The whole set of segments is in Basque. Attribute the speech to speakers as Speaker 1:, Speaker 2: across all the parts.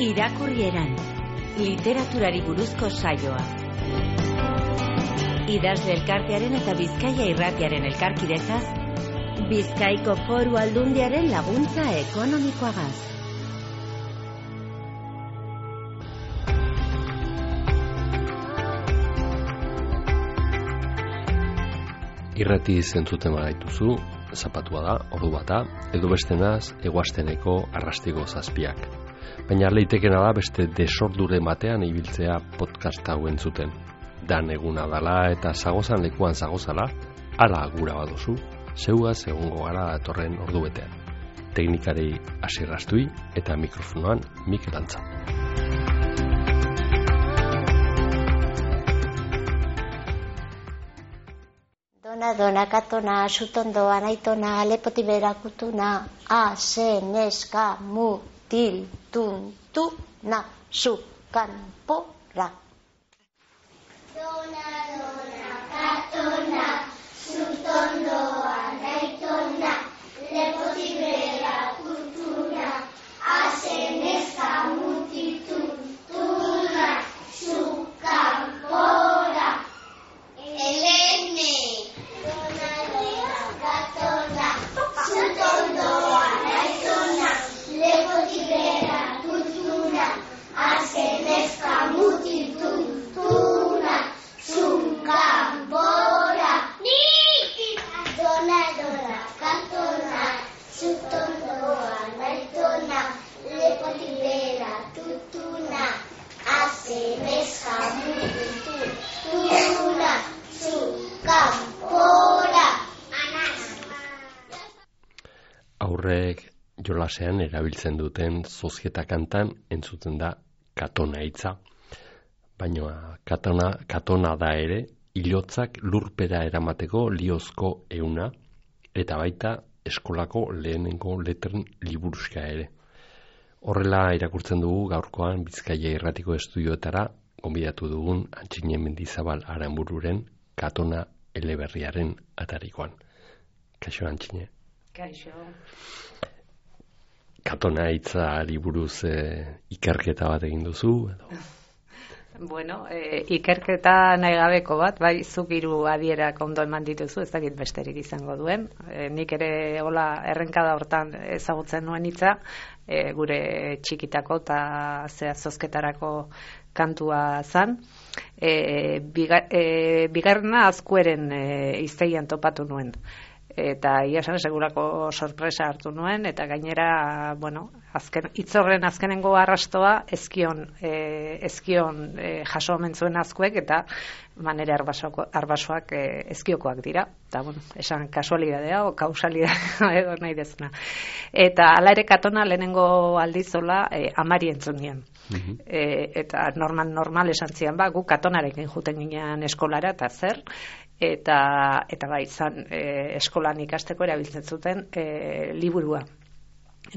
Speaker 1: Irakurrieran, literaturari buruzko saioa. Idazle elkartearen eta Bizkaia Irratiaren elkarkidetzaz, Bizkaiko Foru Aldundiaren laguntza ekonomikoagaz.
Speaker 2: Irrati zentzuten bagaituzu, zapatua da, ordu bata, edo bestenaz, eguazteneko arrastiko zazpiak. Baina leitekena da beste desordure batean ibiltzea podcast hau entzuten. Dan eguna dala eta zagozan lekuan zagozala, ala gura baduzu, zeugaz egongo gara datorren ordu betean. Teknikari Asier Astui eta mikrofonoan Mikel Antza.
Speaker 3: Dona, katona, sutondoa, naitona, lepoti berakutuna, ase, neska, mutil, tuntuna, su, kanpora. Dona, katona, sutondoa, naitona, lepoti berakutuna, ase, neska, mutil, tuntuna, su, kanpora. Elene.
Speaker 2: Aurrek jolasean erabiltzen duten zozketa kantan entzuten da katona hitza. Baina katona da ere ilotzak lurpera eramateko liozko euna eta baita eskolako lehenengo letren liburuska ere. Horrela irakurtzen dugu gaurkoan Bizkaia Irratiko estudioetara gonbidatu dugun Antxine Mendizabal Aranbururen katona eleberriaren atarikoan. Kaixo Antxine.
Speaker 4: Kaixo.
Speaker 2: Katona hitzari buruz ikerketa bat egin duzu edo?
Speaker 4: Bueno, ikerketa nahi gabeko bat, bai, zuk hiru adierak ondo eman dituzu, ez dakit besterik izango duen. Nik ere hola errenkada hortan ezagutzen nuen hitza, gure txikitako eta zozketarako kantua zan. Bigarrena Azkueren hiztegian topatu nuen. Eta ia esan segurako sorpresa hartu nuen, eta gainera, bueno, hitzorren azkenengo arrastoa ezkion jaso omen zuen Azkuek, eta manera arbasoak ezkiokoak dira. Eta, bueno, esan kasualidadea o kausalidadea edo nahi dezuna. Eta hala ere katona lehenengo aldizola amari entzun nien. Eta normal esan zian, gu katonarekin juten ginean eskolara, eta zer, eta bai, zan eskolan ikasteko erabiltzen zuten liburua.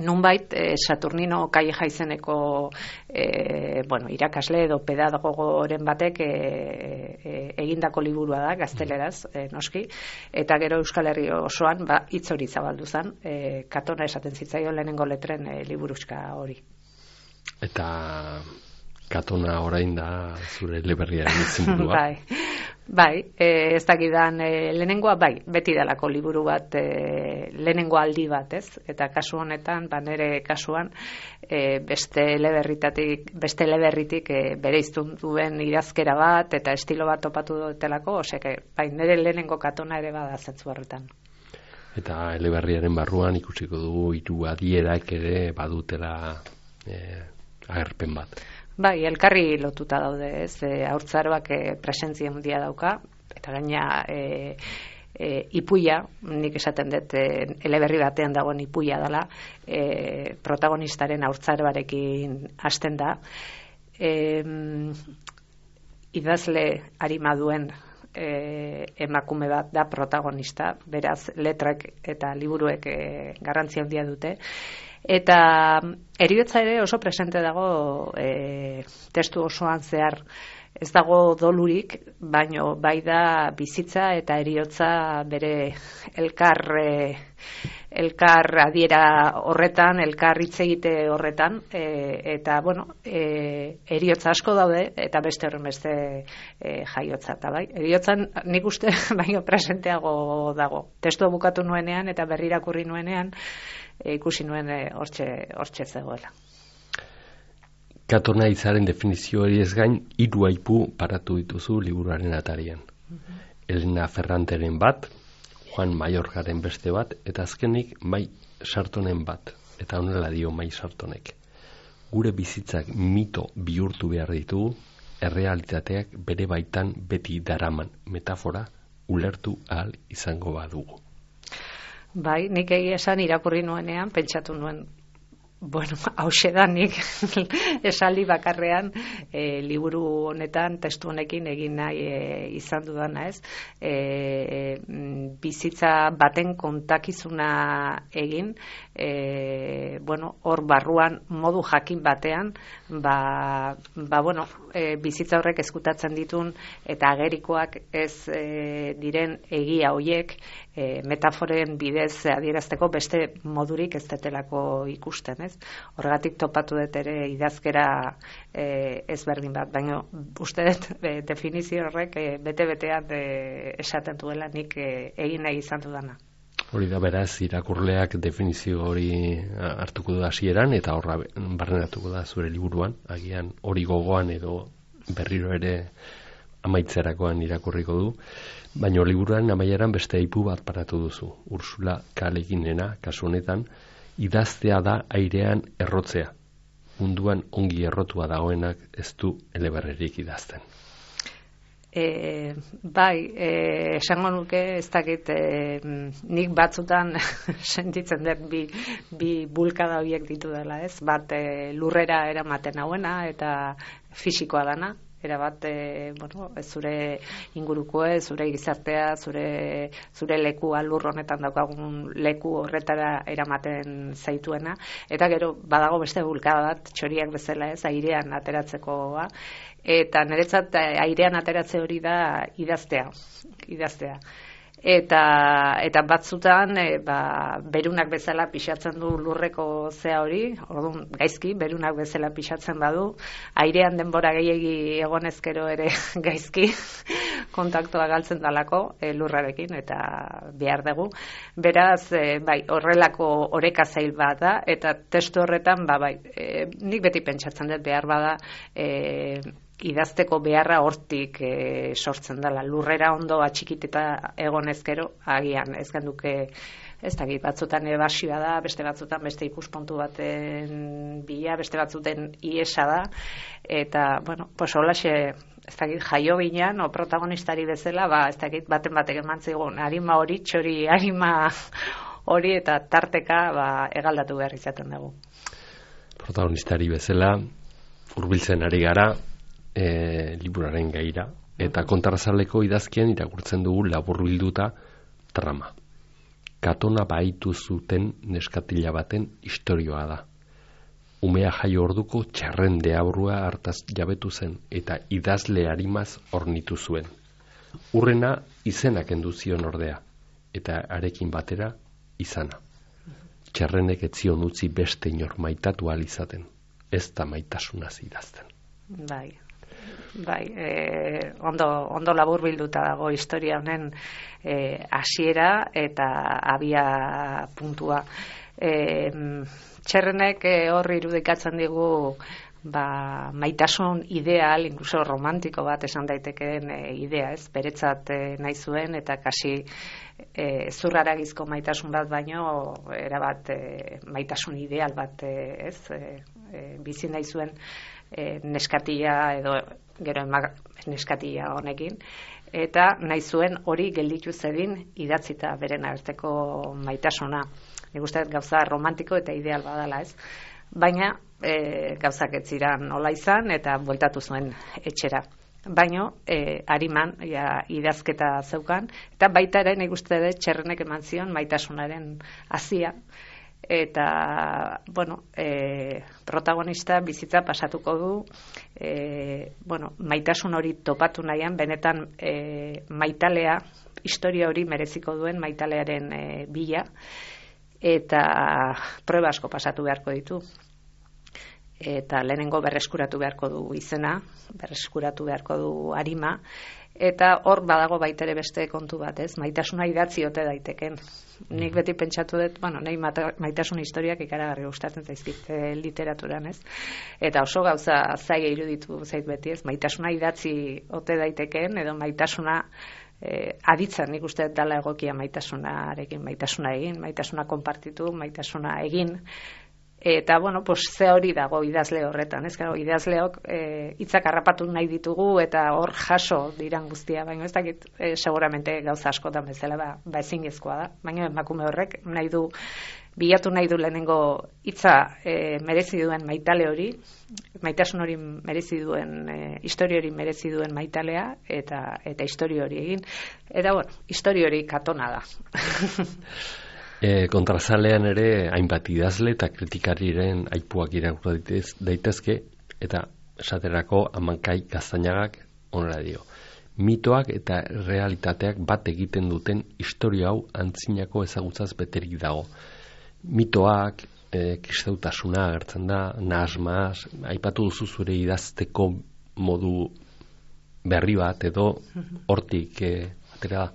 Speaker 4: Nunbait, Saturnino Calleja izeneko irakasle edo pedagogoren batek egindako liburua da, gazteleraz, noski, eta gero Euskal Herri osoan hitz hori zabaldu zen, katona esaten zitzaio lehenengo letren liburuska hori.
Speaker 2: Eta katona orain da zure eleberriaren izenburua.
Speaker 4: Bai, ez dakidan lehenengoa, bai, beti dalako liburu bat, lehenengo aldi bat, ez? Eta kasu honetan, nire kasuan, beste eleberritik bereiztun duen idazkera bat, eta estilo bat topatu dutelako, oseke, bai, nire lehenengo katona ere bada zentzu horretan.
Speaker 2: Eta eleberriaren barruan ikusiko dugu hiru adierak ere badutela agerpen bat.
Speaker 4: Bai, elkarri lotuta daude, ez, haurtzaroak presentzia handia dauka, eta gaina ipuia, nik esaten dut eleberri batean dagoen ipuia dela, protagonistaren haurtzaroarekin hasten da. Idazle arima duen emakume bat da protagonista, beraz letrak eta liburuek garrantzia handia dute. Eta heriotza ere oso presente dago testu osoan zehar. Ez dago dolurik, baino bai da bizitza eta heriotza bere elkar elkar adiera horretan, elkar hitz egite horretan, eta, bueno, eriotza asko daude, eta beste horren beste jaiotza, eta bai, eriotzan nik uste baino presenteago dago. Testua bukatu nuenean, eta berri irakurri nuenean, ikusi nuen hortxe zegoela.
Speaker 2: Katona hitzaren definizio hori ez gain, 3 aipu paratu dituzu liburuaren atarian. Elena Ferranteren bat, Juan Mayorgaren beste bat, eta azkenik Mai Sartonen bat, eta honela dio Mai Sartonek. Gure bizitzak mito bihurtu behar ditugu, errealitateak bere baitan beti daraman metafora ulertu ahal izango badugu.
Speaker 4: Bai, nik egia esan irakurri nuenean, pentsatu nuen, bueno, hauxe da nik esaldi bakarrean liburu honetan, testu honekin egin nahi izan dudana, ez? Bizitza baten kontakizuna egin, bueno, hor barruan modu jakin batean, bueno, bizitza horrek ezkutatzen ditun eta agerikoak ez diren egia hoiek metaforen bidez adierazteko beste modurik ez detelako ikusten, ez? Horregatik topatu dut ere idazkera ezberdin bat, baina uste dut definizio horrek bete-betean esaten duela nik egin nahi izan dudana.
Speaker 2: Hori da, beraz, irakurleak definizio hori hartuko du hasieran eta horra barneratuko da zure liburuan, agian hori gogoan edo berriro ere amaitzerakoan irakurriko du, baina liburuaren amaieran beste aipu bat paratu duzu. Ursula K. Le Guinena, kasu honetan, idaztea da airean errotzea. Munduan ongi errotua dagoenak ez du eleberrerik idazten.
Speaker 4: Bai, esango nuke ez dakit nik batzutan sentitzen dut bi bulkada horiek ditu dela, ez? Bat lurrera eramaten hauena eta fisikoa dana, erabat, bueno, zure ingurukoe, zure gizartea, zure lekua lur honetan daukagun leku horretara eramaten zaituena, eta gero badago beste bulkada bat txoriak bezala, ez, airean ateratzekoa, eta niretzat airean ateratze hori da idaztea. Eta batzutan berunak bezala pixatzen du lurreko zea hori, orduan gaizki, berunak bezala pixatzen badu, airean denbora gehiegi egonezkero ere gaizki, kontaktua galtzen dalako lurrarekin eta behar dugu. Beraz, bai, horrelako oreka zail bat da, eta testu horretan, nik beti pentsatzen dut behar bada, idazteko beharra hortik sortzen dela. Lurrera ondo atxikiteta egonezkero, agian ez genduke, ez dakit, batzutan ebasioa da, beste batzutan beste ikuspuntu baten bila, beste batzuten iesa da, eta, bueno, pues holaxe, ez dakit, jaio ginean, o protagonistari bezala, ez dakit, batek eman zigun, harima hori, txori harima hori, eta tarteka, egaldatu behar izaten dugu.
Speaker 2: Protagonistari bezala, hurbiltzen ari gara, liburaren gaira, eta kontrarzaleko idazkien irakurtzen dugu laburbilduta trama. Katona baitu zuten neskatila baten istorioa da. Umea jaio orduko txarren deabrua hartaz jabetu zen eta idazle arimaz ornitu zuen. Urrena izenak enduzion ordea, eta arekin batera izana. Txarrenek etzion utzi beste inor maitatu ahal izaten, ez da maitasunaz idazten.
Speaker 4: Bai, ondo laburbilduta dago historia honen hasiera eta abia puntua. Txerrenek hor irudikatzen digu maitasun ideal, incluso romantiko bat esan daitekeen idea, ez? Beretzat nahi zuen eta kasi zurraragizko maitasun bat baino erabat maitasun ideal bat, ez? Bizi nahi zuen neskatila edo gero neskatila honekin, eta nahi zuen hori gelditu zedin idatzita beren arteko maitasuna. Nik uste gauza romantiko eta ideal badala, ez? Baina gauzak ez ziren nola izan eta bueltatu zuen etxera. Baina hariman idazketa zeukan, eta baita ere nik uste dut Txerrenek eman zion maitasunaren hazia. Eta, bueno, protagonista bizitza pasatuko du, maitasun hori topatu nahian, benetan maitalea, historia hori mereziko duen maitalearen bila, eta proba asko pasatu beharko ditu. Eta lehenengo berreskuratu beharko du izena, berreskuratu beharko du arima, eta hor badago baitere beste kontu bat, ez? Maitasuna idatzi ote daiteken. Nik beti pentsatu dut, nahi maitasun historiak ikaragarri gustatzen zaizkit literaturan, ez? Eta oso gauza zaila iruditu zait beti, ez? Maitasuna idatzi ote daiteken, edo maitasuna aditzen, nik uste dela egokia maitasunarekin, maitasuna egin, maitasuna konpartitu, maitasuna egin. Eta, ze hori dago idazle horretan, ez? Gero, idazleok hitzak harrapatu nahi ditugu eta hor jaso diran guztia, baina ez dakit seguramente gauza askotan bezala ezinezkoa da, baina emakume horrek bilatu nahi du lehenengo hitza merezi duen maitale hori, maitasun hori merezi duen, historia hori merezi duen maitalea, eta historia hori egin. Eta, historia hori katona da.
Speaker 2: Kontrazalean ere hainbat idazle eta kritikariren aipuak irakurri daitezke, eta esaterako Amankai Gaztañagak honela dio: mitoak eta realitateak bat egiten duten historia hau antzinako ezagutzaz beterik dago. Mitoak, kristautasuna agertzen da, nahasmaz, aipatu duzu zure idazteko modu berri bat edo hortik atera da.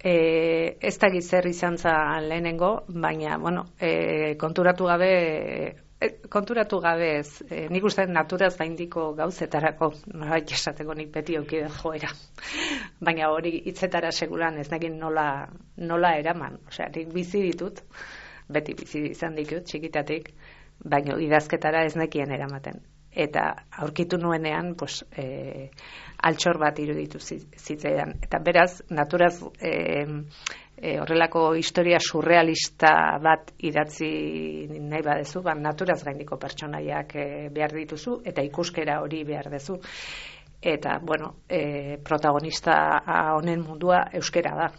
Speaker 4: Ez da zer izan zen lehenengo, baina, konturatu gabe ez, nik uste naturaz gaindiko gauzetarako, norbait esateko nik beti aukiden joera. Baina hori hitzetara seguran ez nekin nola eraman. Osea, nik bizi ditut, beti bizi izan ditut, txikitatik, baina idazketara ez nekien eramaten. Eta aurkitu nuenean, altxor bat iruditu zitzaidan. Eta beraz, naturaz horrelako historia surrealista bat idatzi nahi badezu, naturaz gaindiko pertsonaiak behar dituzu, eta ikuskera hori behar dezu. Eta, protagonista honen mundua euskera da.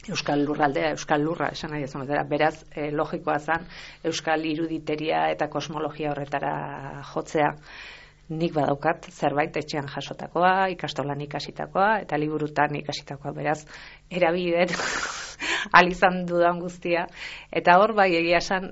Speaker 4: Euskal lurraldea, euskal lurra, esan nahi ezan. Beraz, logikoa zen, euskal iruditeria eta kosmologia horretara jotzea. Nik badaukat zerbait etxean jasotakoa, ikastolan ikasitakoa, eta liburutan ikasitakoa. Beraz, erabideen alizan dudan guztia. Eta hor bai egia esan,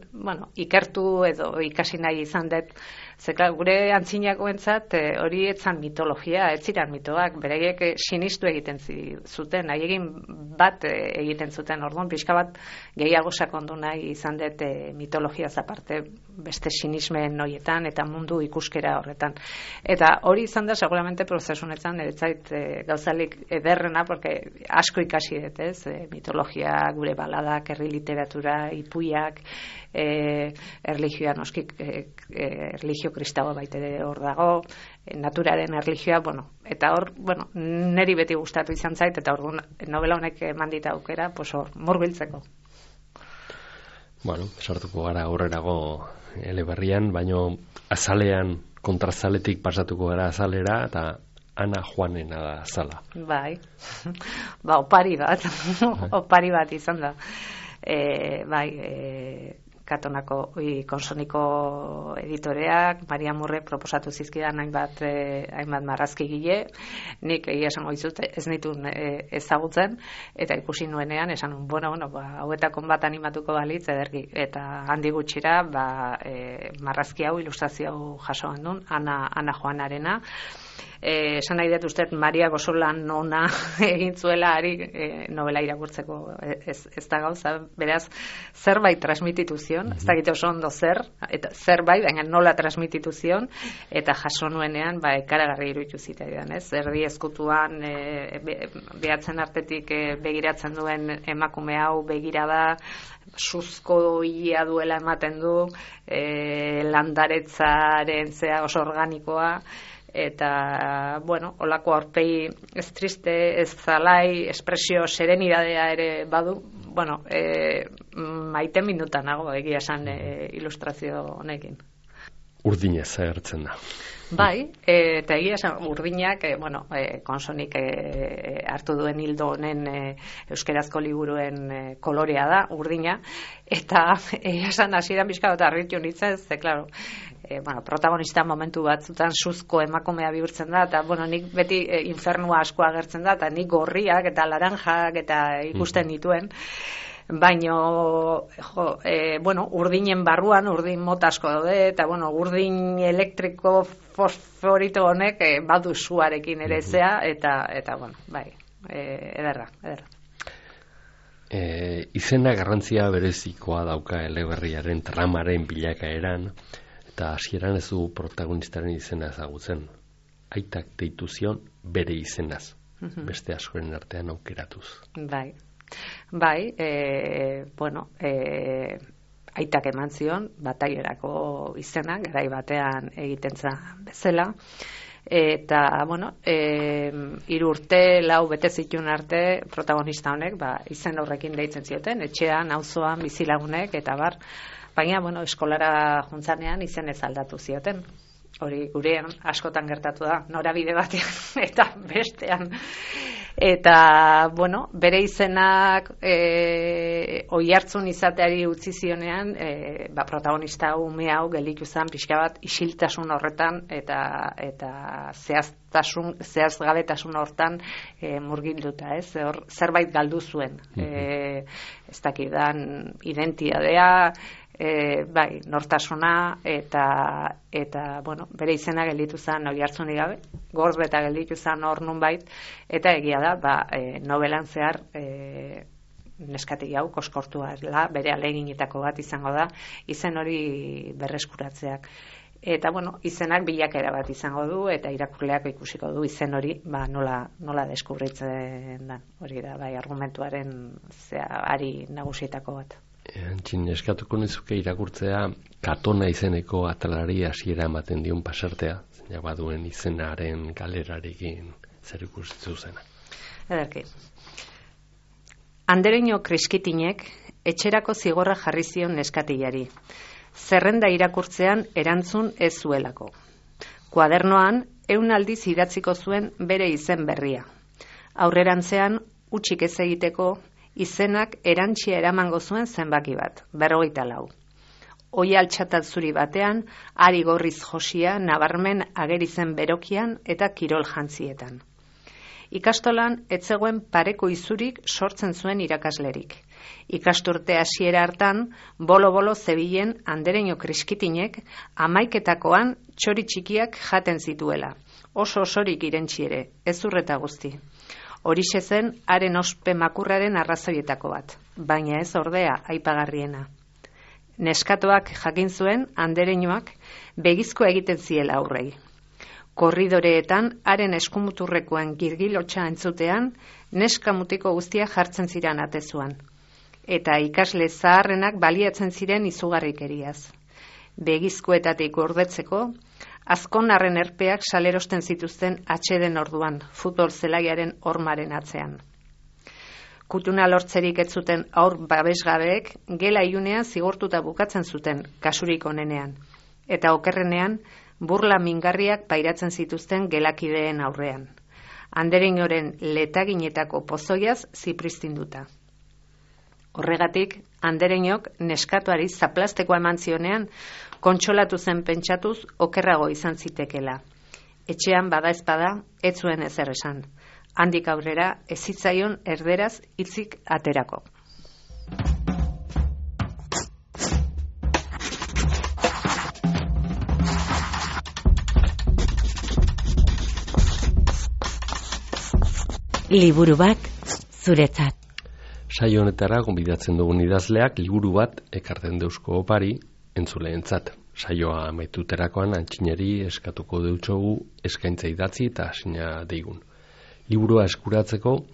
Speaker 4: ikertu edo ikasi nahi izan dut. Zeka, gure antzinakoentzat hori etzan mitologia, ez ziren mitoak, beraiek sinistu egiten zuten, haiekin bat egiten zuten, orduan pixka bat gehiago sakondu nahi izan dut mitologiaz aparte beste sinismen horietan eta mundu ikuskera horretan. Eta hori izan da seguramente prozesunetan eretzait gauzalik ederrena, porque asko ikasi dut, ez? Mitologia, gure baladak, herri literatura, ipuiak, erlijioa noskik, erlijio kristaua baitere hor dago, naturaren erlijioa, eta hor, niri beti gustatu izan zait, eta orduan novela honek eman dit aukera, hor, murbiltzeko.
Speaker 2: Sartuko gara aurrerago eleberrian, baino azalean, kontrazaletik pasatuko gara azalera, eta Ana Juanena da azala.
Speaker 4: Bai, opari bat izan da. Katonako Konsoniko editoreak, Maria Murre proposatu zizkidan hainbat marrazkigile, nik egia esango dizut ez nituen ezagutzen, eta ikusi nuenean, esan hauetakon bat animatuko balitz, ederki, eta handi gutxira, marrazki hau, ilustrazio hau jaso handun, Ana Juanarena. Esan nahi dut uste Maria Gozolan ona egin zuela novela irakurtzeko ez da gauza, beraz zerbait transmititu zion, ez dakit oso ondo eta zerbait, baina nola transmititu zion, eta jaso nuenean ekaragarri iruditu zitzaidan, ez? Erdi ezkutuan behatzen artetik begiratzen duen emakume hau begirada, suzko ia duela ematen du, landaretzaren zea oso organikoa, eta, holako aurpegi ez triste, ez zalai, espresio serenidadea ere badu, maite minutan nago egia esan ilustrazio honekin.
Speaker 2: Urdinez agertzen da.
Speaker 4: Bai, eta egia esan urdinak, Konsonik hartu duen hildo honen euskerazko liburuen kolorea da, urdina, eta egia esan hasieran pixka bat harritu nintzen, klaro, protagonista momentu batzutan suzko emakumea bihurtzen da, eta nik beti infernua asko agertzen da, eta nik gorriak eta laranjak eta ikusten dituen, Baino, urdinen barruan, urdin mota asko daude, eta, urdin elektriko fosforito honek badu suarekin ere zea, eta bai, ederra.
Speaker 2: Izena garrantzia berezikoa dauka eleberriaren tramaren bilakaeran, eta hasieran ez du protagonistaren izena ezagutzen. Aitak deitu zion bere izenaz, beste askoren artean aukeratuz.
Speaker 4: Bai, aitak eman zion, batailerako izena, garai batean egiten zen bezala, eta, 3 urte, 4 bete zituen arte, protagonista honek, izen horrekin deitzen zioten, etxean, auzoan, bizilagunek, eta baina, eskolara juntzanean izen ez aldatu zioten. Hori gurean askotan gertatu da, norabide batean eta bestean. Eta, bere izenak oihartzun izateari utzi zionean, protagonista ume hau gelditu zen pixka bat isiltasun horretan eta zehazgabetasun hortan murgilduta, ez? Zerbait galdu zuen. Ez dakidan identitatea, nortasuna eta bere izena gelditu zen oihartzunik gabe, gorbeta gelditu zen hor nunbait, eta egia da, novelan zehar neskati hau koskortua bere ahaleginetako bat izango da, izen hori berreskuratzeak. Eta, izenak bilakaera bat izango du, eta irakurleak ikusiko du izen hori, nola deskubritzen da. Hori da, argumentuaren ari nagusietako bat.
Speaker 2: Antxin, eskatuko nizuke irakurtzea Katona izeneko atalari hasiera ematen dion pasartea, zeina baduen izenaren galerarekin zer ikusten zuzena.
Speaker 4: Ederki. Andereño Kriskitinek etxerako zigorra jarri zion neskatilari. Zerrenda irakurtzean erantzun ez zuelako. Kuadernoan 100 aldiz idatziko zuen bere izen berria. Aurrerantzean hutsik ez egiteko izenak erantsia eramango zuen zenbaki bat, 44. Oi altxatat zuri batean, ari gorriz josia nabarmen ageri zen berokian eta kirol jantzietan. Ikastolan ez zegoen pareko izurik sortzen zuen irakaslerik. Ikasturte hasiera hartan, bolo-bolo zebilen Andereño Kriskitinek 11 txori txikiak jaten zituela. Oso osorik irentsi ere, ez urreta guzti. Horixe zen haren ospe makurraren arrazoietako bat, baina ez ordea aipagarriena. Neskatoak jakin zuen Andereñoak begizko egiten ziela aurrei. Korridoreetan haren eskumuturrekoen girgilotxa entzutean neska mutiko guztia jartzen ziren atezuan. Eta ikasle zaharrenak baliatzen ziren izugarrikeriaz. Begizkoetatik gordetzeko, azkonarren erpeak salerosten zituzten atxeden orduan, futbol zelaiaren hormaren atzean. Kutuna lortzerik ez zuten aur babesgabeek gela iunean zigortuta bukatzen zuten, kasurik onenean. Eta okerrenean, burla mingarriak pairatzen zituzten gelakideen aurrean. Andereñoren letaginetako pozoiaz zipristinduta. Horregatik, Andereñok neskatuari zaplastekoa eman zionean, kontsolatu zen pentsatuz okerrago izan zitekela. Etxean bada ezpada, ez zuen ezer esan. Handik aurrera ez zitzaion erderaz hitzik aterako.
Speaker 1: Liburu bat zuretzat.
Speaker 2: Saio honetara gonbidatzen dugun idazleak liburu bat ekarten deusko opari entzuleentzat. Saioa amaituterakoan Antxineri eskatuko deutsogu eskaintza idatzi eta hasina deigun. Liburua eskuratzeko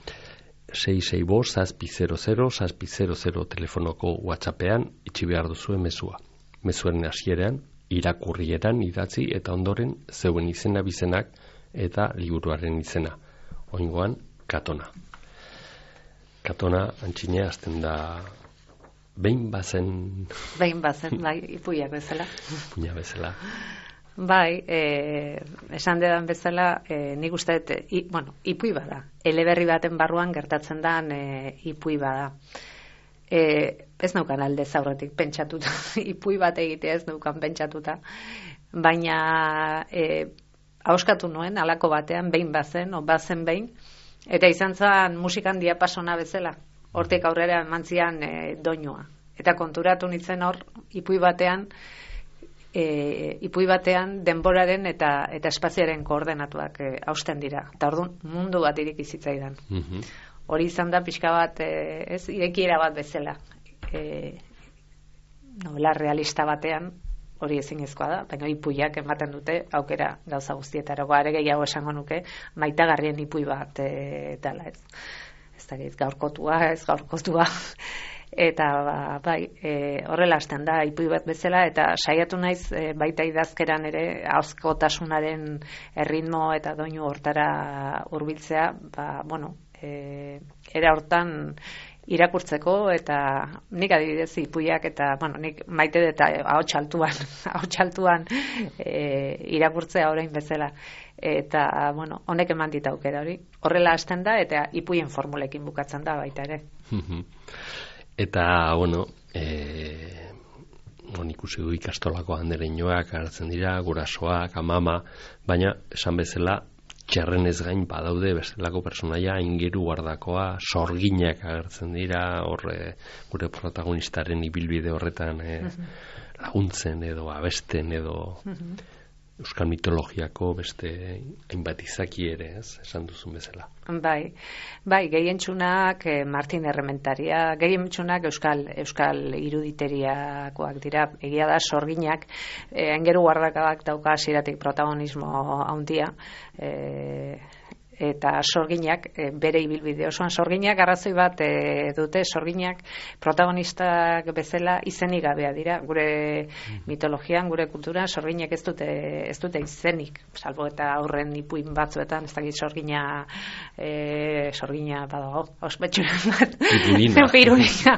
Speaker 2: 665-600-600 telefonoko WhatsAppean itxi behar duzue mezua. Mezuaren hasieran irakurrieran idatzi eta ondoren zeuen izena bizenak eta liburuaren izena. Oingoan Katona. Katona, Antxine, azten da behin bazen,
Speaker 4: bai, ipuiak bezala.
Speaker 2: Ipuina bezala.
Speaker 4: Bai, esan dedan bezala, nik uste dut, ipui bada. Eleberri baten barruan gertatzen da ipui bada. Ez naukan alde zaurretik pentsatuta, ipui bat egitea ez naukan pentsatuta, baina hauskatu nuen, halako batean, behin bazen, o bazen behin, eta izan zen musikan diapasona bezala. Hortik aurrera emantzian doinua. Eta konturatu nintzen hor, ipuin batean denboraren eta espazioaren koordenatuak hausten dira. Eta orduan mundu bat ireki zitzaidan. Hori izan da pixka bat, irekiera bat bezala. Novela realista batean, hori ezinezkoa da, baina ipuiak ematen dute aukera gauza guztietarako. Are gehiago esango nuke, maitagarrien ipuin bat dela, ez. Ez dakit, gaurkotua. Eta bai, horrela hasten da ipuin bat bezala, eta saiatu naiz baita idazkeran ere ahozkotasunaren erritmo eta doinu hortara hurbiltzea, era hortan irakurtzeko, eta nik adibidez ipuiak eta nik maite dut ahots altuan irakurtzea orain bezala, eta honek eman dit aukera hori. Horrela hasten da eta ipuien formulekin bukatzen da baita ere.
Speaker 2: Eta ikusi du ikastolako andereñoak hartzen dira, gurasoak, amama, baina esan bezala txerrenez gain badaude bestelako personaia ingeru guardakoa, sorginak agertzen dira, gure protagonistaren ibilbide horretan laguntzen edo abesten edo euskal mitologiako beste hainbat izaki ere, esan duzun bezala.
Speaker 4: Bai, gehientsunak Martin Errementaria, gehientsunak euskal iruditeriakoak dira. Egia da sorginak aingeru guardakabak dauka hasieratik protagonismo handia, eta sorginak bere ibilbide osoan sorginak arrazoi bat dute. Sorginak protagonistak bezala izenik gabea dira. Gure mitologian, gure kulturan sorginak ez dute izenik, salbo eta aurren ipuin batzuetan, ez dakit sorgina badago, ospetxu irudina.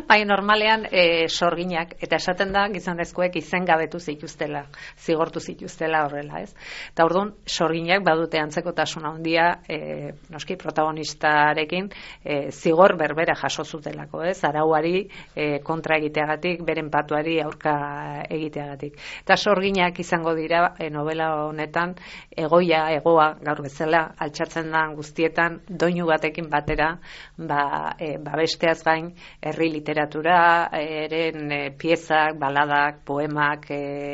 Speaker 4: Bai, normalean sorginak, eta esaten da gizonezkoek izen gabetu zituztela, zigortu zituztela horrela, ez? Eta orduan sorginak badute antzekotasun handia noski protagonistarekin zigor berbera jaso zutelako, ez? Arauari kontra egiteagatik, beren patuari aurka egiteagatik. Eta sorginak izango dira novela honetan egoa gaur bezala altxatzen da guztietan doinu batekin batera, besteaz gain herri literatura eren piezak, baladak, poemak,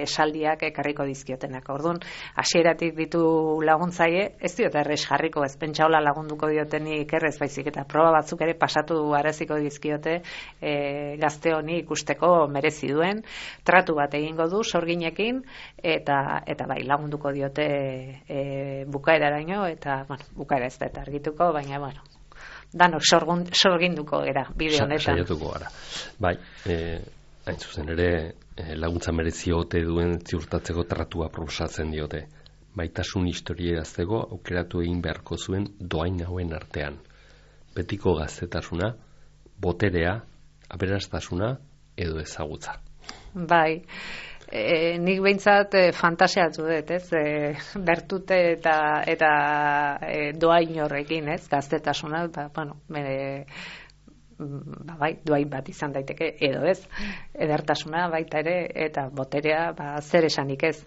Speaker 4: esaldiak ekarriko dizkiotenak. Orduan, hasieratik ditu laguntzaile, ez diot errez jarriko, ez pentsaola lagunduko diotenik errez, baizik eta proba batzuk ere pasatu araziko dizkiote gazte honi ikusteko merezi duen, tratu bat egingo du sorginekin, eta bai, lagunduko diote bukaeraraino, eta bukaera ez da eta argituko, baina danok sorginduko gara bide honetan.
Speaker 2: Saiatuko gara. Bai, hain zuzen ere laguntza merezi ote duen ziurtatzeko tratua proposatzen diote. Baitasun historia idazteko aukeratu egin beharko zuen dohain hauen artean. Betiko gaztetasuna, boterea, aberastasuna edo ezagutza.
Speaker 4: Bai, nik behintzat fantasiatu dut, ez? Bertute eta dohain horrekin, ez? Gaztetasuna, bai, dohain bat izan daiteke, edo ez? Edertasuna baita ere, eta boterea, zer esanik ez?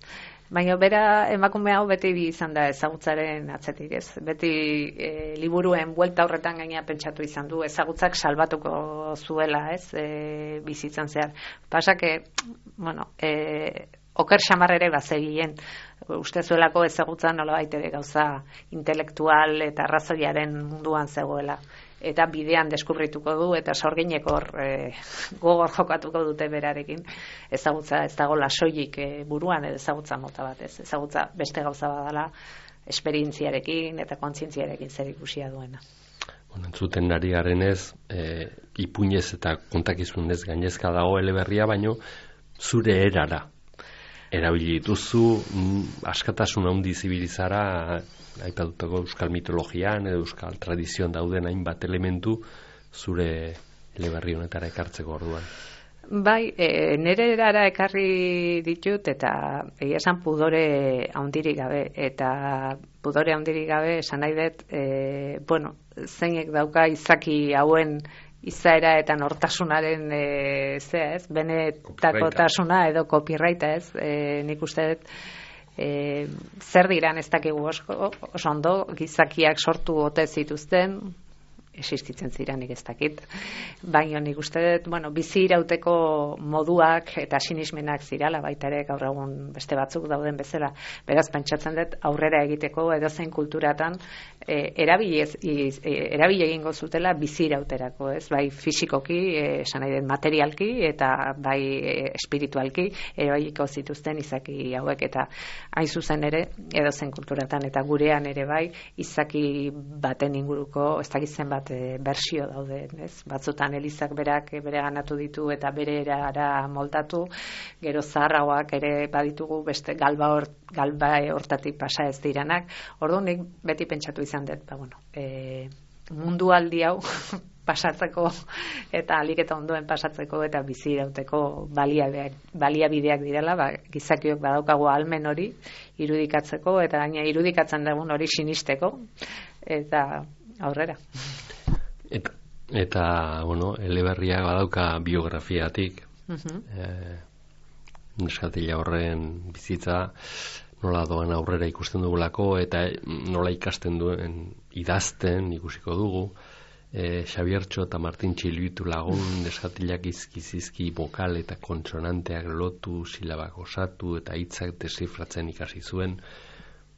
Speaker 4: Baina bera emakume hau beti izan da ezagutzaren atzetik, ez? Beti liburuen buelta horretan gaina pentsatu izan du, ezagutzak salbatuko zuela, ez? Bizitzan zehar. Pasak, oker xamar ere bazegien, uste zuelako ezagutza nolabait ere gauza intelektual eta arrazoiaren munduan zegoela. Eta bidean deskubrituko du, eta sorginek hor gogor jokatuko dute berarekin. Ezagutza ez dago lasoilik buruan, ezagutza mota bat, ez? Ezagutza beste gauza badala, esperientziarekin eta kontzientziarekin zer ikusia duena.
Speaker 2: Entzuten ari garenez, ipuinez eta kontakizunez gainezka dago eleberria, baino zure erara erabili dituzu, askatasun handi zibilizara, aipatutako euskal mitologian edo euskal tradizioan dauden hainbat elementu zure eleberri honetara ekartzeko orduan.
Speaker 4: Bai, nire erara ekarri ditut, eta egia esan pudore handirik gabe, eta pudore handirik gabe esan nahi dut, zeinek dauka izaki hauen izaera eta nortasunaren benetakotasuna edo copyrighta, ez? Nik uste dut zer diran ez dakigu oso ondo, gizakiak sortu ote zituzten, existitzen ziranik ez dakit. Baina nik uste dut, bizi irauteko moduak eta sinismenak zirala, baita ere gaur egun beste batzuk dauden bezala. Beraz, pentsatzen dut aurrera egiteko edozein kulturatan erabili egingo zutela bizi irauterako, ez? Bai fisikoki, esan nahi den materialki eta bai espiritualki erabiliko zituzten izaki hauek, eta hain zuzen ere edozein kulturatan eta gurean ere bai izaki baten inguruko ez dakit zenbat bersio daude, ez? Batzutan elizak berak bereganatu ditu eta bere erara moldatu, gero zaharragoak ere baditugu beste galba hortatik pasa ez diranak. Orduan nik beti pentsatu izan dut, mundu aldi hau pasatzeko eta ahalik eta ondoen pasatzeko eta bizi irauteko baliabideak direla, gizakiok badaukagu ahalmen hori irudikatzeko eta gaina irudikatzen dugun hori sinisteko eta aurrera.
Speaker 2: Eta eleberriak badauka biografiatik. Neskatila horren bizitza nola doan aurrera ikusten dugulako eta nola ikasten duen idazten ikusiko dugu. Xabiertxo eta Martin Txiluitu lagun neskatilak izki bokal eta kontsonanteak lotu, silabak osatu eta hitzak desifratzen ikasi zuen.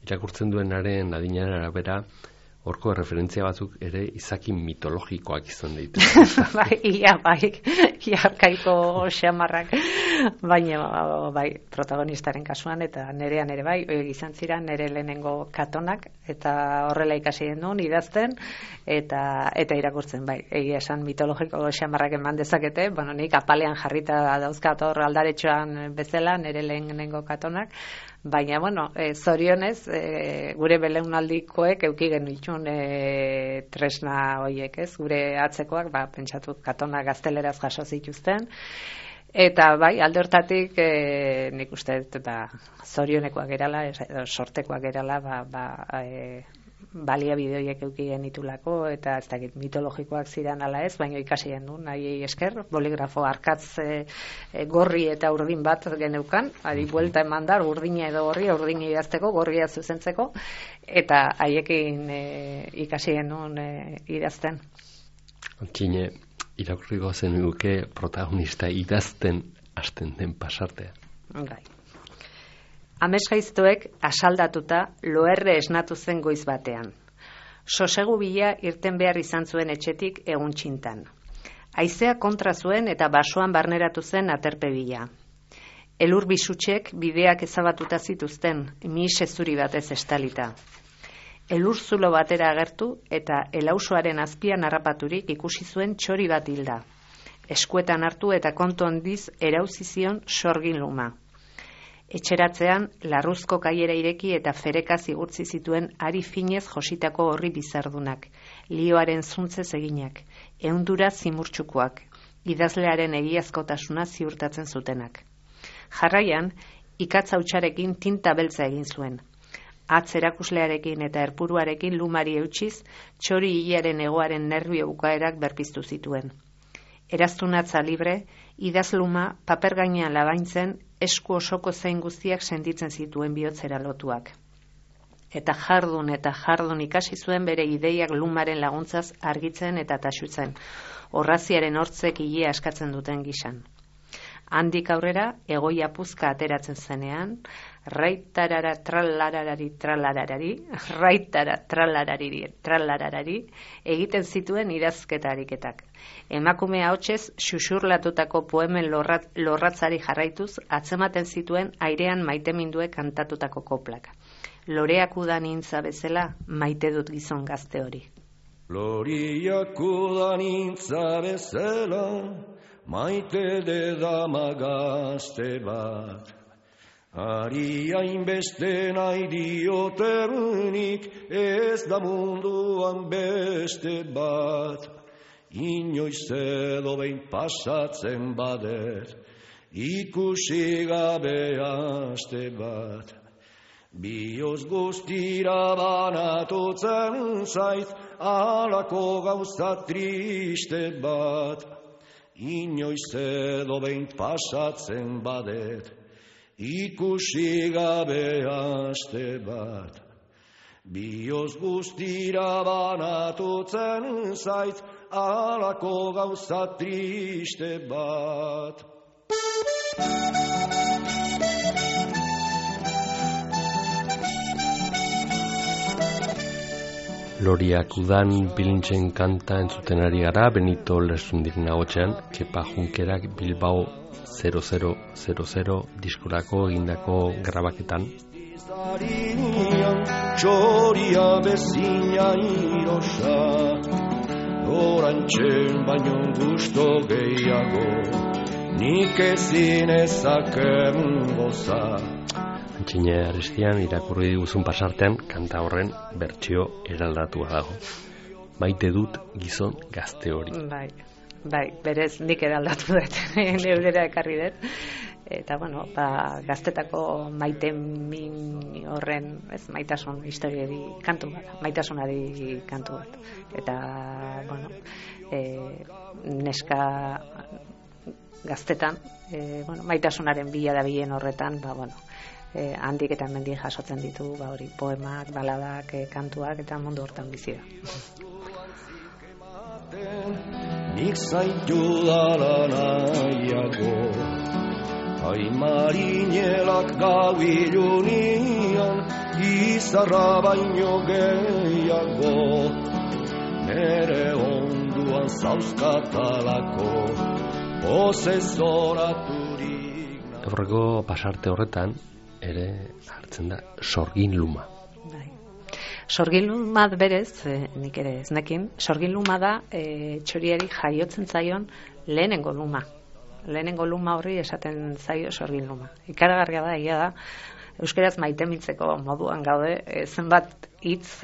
Speaker 2: Irakurtzen duenaren adinaren arabera horko referentzia batzuk ere izaki mitologikoak izan ditu.
Speaker 4: Ia arkaiko xamarrak, baina protagonistaren kasuan eta nerean ere bai, izan ziren nere lehenengo katonak eta horrela ikasi genuen idazten eta irakurtzen egia esan mitologiko xamarrak eman dezakete, nik apalean jarrita dauzkat hor aldaretxoan bezala nere lehenengo katonak, baina, zorionez, gure belaunaldikoek eduki genitxun tresna horiek, ez? Gure atzekoak, pentsatu katona gazteleraz jaso zituzten, eta alde hortatik nik uste zorionekoak gerala, sortekoak gerala, baliabide horiek eduki genitulako, eta ez dakit mitologikoak ziren ala ez, baina ikasi genuen, nahi esker, boligrafo arkatz gorri eta urdin bat geneukan, ari buelta eman da, urdina edo gorria, urdina idazteko, gorria zuzentzeko, eta haiekin ikasi genuen idazten.
Speaker 2: Txine, irakurriko zen duke protagonista idazten hasten den pasartea.
Speaker 4: Amesgaiztoek asaldatuta loerre esnatu zen goiz batean. Sosegu bila irten behar izan zuen etxetik egun txintan. Haizea kontra zuen eta basoan barneratu zen aterpe bila. Elur bisutxek bideak ezabatuta zituzten, mihise zuri batez estalita. Elur zulo batera agertu eta elausoaren azpian harrapaturik ikusi zuen txori bat hilda. Eskuetan hartu eta kontu handiz erauzi zion sorgin luma. Etxeratzean, larruzko kaiera ireki eta ferekaz igurtzi zituen ari finez jositako horri bizardunak, lioaren zuntzez eginak, ehundura zimurtxukoak, idazlearen egiazkotasuna ziurtatzen zutenak. Jarraian, ikatza hutsarekin tinta beltza egin zuen. Atz erakuslearekin eta erpuruarekin lumari eutxiz, txori hilaren egoaren nerbio bukaerak berpiztu zituen. Eraztunatza libre, idazluma paper gainean labaintzen esku osoko zein guztiak sentitzen zituen bihotzera lotuak. Eta jardun ikasi zuen bere ideiak lumaren laguntzaz argitzen eta taxutzen, orraziaren hortzek ilea eskatzen duten gisan. Handik aurrera, egoia puzka ateratzen zenean, raitarara tralararari tralararari, raitara tralararari, egiten zituen idazketa ariketak. Emakume ahotsez xuxurlatutako poemen lorratzari jarraituz, atzematen zituen airean maiteminduek kantatutako koplak. Loreak udan intza bezala, maite dut gizon gazte hori.
Speaker 5: Loreak udan intza bezala, maite dama gazte bat. Ari hainbeste nahi diotenik, ez da munduan beste bat. Inoiz edo behin pasatzen badet, ikusi gabe aste bat. Bioz guztira banatutzen zait, alako gauza triste bat. Inoiz edo behin pasatzen badet, ikusi gabe aste bat. Bioz guztira banatutzen zaiz, alako gauza triste bat.
Speaker 2: Loriak udan bilintzen kanta entzuten ari gara, Benito Lertxundik nagotxean, Kepa Junkerak Bilbao 0000 diskorako egindako grabaketan.
Speaker 5: Txoria bezina irosa, orantxen baino gusto gehiago, nik ezin ezaken goza.
Speaker 2: Antxine Aristian irakurri diguzun pasartean, kanta horren bertsio eraldatua dago. Maite dut gizon gazte hori.
Speaker 4: Bai, berez nik eraldatu dut, neurera ekarri dut. Eta, bueno, gaztetako maite min horren, maitasun historiari kantu bat, maitasunari kantu bat. Eta, bueno, neska gaztetan, maitasunaren bila da bilen horretan, handik eta hemendik jasotzen ditu, hori, poemak, baladak, kantuak, eta mundu hortan bizi da.
Speaker 5: Nik zaitu dala nahiago, marinelak gau ilunian, izarra baino gehiago, nere onduan zauzkatalako, pozezoraturik.
Speaker 2: Aurreko pasarte horretan, ere hartzen da sorgin luma.
Speaker 4: Sorgin luma berez, nik ere ez nekin, sorgin luma da txoriari jaiotzen zaion lehenengo luma. Lehenengo luma horri esaten zaio sorgin luma. Ikaragarria da, egia da, euskeraz maitemintzeko moduan gaude, zenbat hitz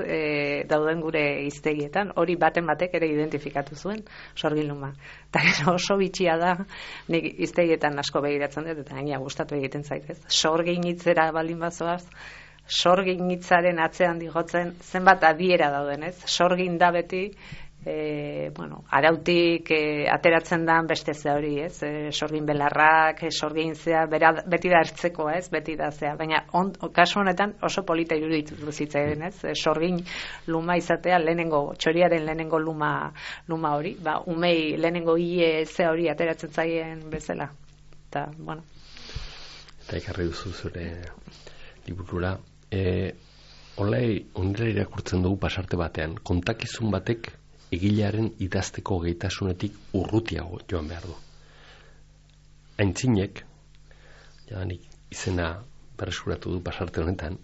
Speaker 4: dauden gure hiztegietan, hori baten batek ere identifikatu zuen sorgin luma. Eta oso bitxia da, nik hiztegietan asko begiratzen dut, eta gaina gustatu egiten zaitez. Sorgin hitzera baldin bazoaz, sorgin hitzaren atzean digotzen zenbat adiera dauden, ez? Sorgin da beti, arautik ateratzen da beste ze hori, ez? Sorgin belarrak, sorgin zea, beti da ertzeko, ez? Beti da zea, baina kasu honetan oso polita iruditu zitzaidan, ez? Sorgin luma izatea txoriaren lehenengo luma hori, umei lehenengo hile ze hori ateratzen zaien bezala. Eta, bueno.
Speaker 2: Eta ikarri duzu zure liburura. Olai, ondela irakurtzen dugu pasarte batean, kontakizun batek egilearen idazteko gaitasunetik urrutiago joan behar du. Aintzinek, jadanik izena berreskuratu du pasarte honetan,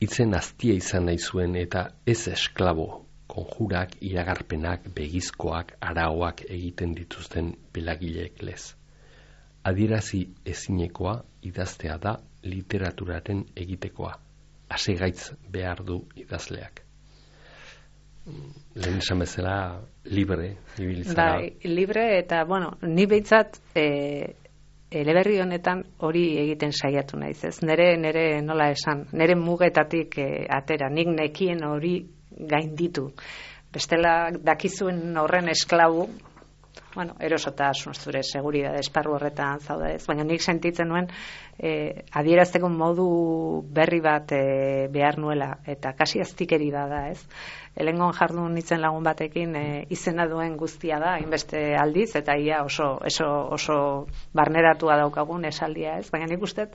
Speaker 2: hitzen aztia izan nahi zuen eta ez esklabo, konjurak, iragarpenak, begizkoak, araoak egiten dituzten pelagileek lez. Adierazi ezinekoa idaztea da literaturaren egitekoa. Hasegaitz behar du idazleak. Lehen esan bezala libre ibilitzera.
Speaker 4: Libre eta, ni behintzat eleberri honetan hori egiten saiatu naiz, ez? Nere nola esan, nere mugetatik atera, nik nekien hori gainditu. Bestela dakizuen horren esklabu, erosotasun zure seguridade esparru horretan zaude, ez? Baina nik sentitzen nuen adierazteko modu berri bat behar nuela, eta kasi aztikeri da, ez? Helengon jardun nitzen lagun batekin izena duen guztia da, hainbeste aldiz, eta ia oso barneratua daukagun esaldia, ez? Baina nik uste,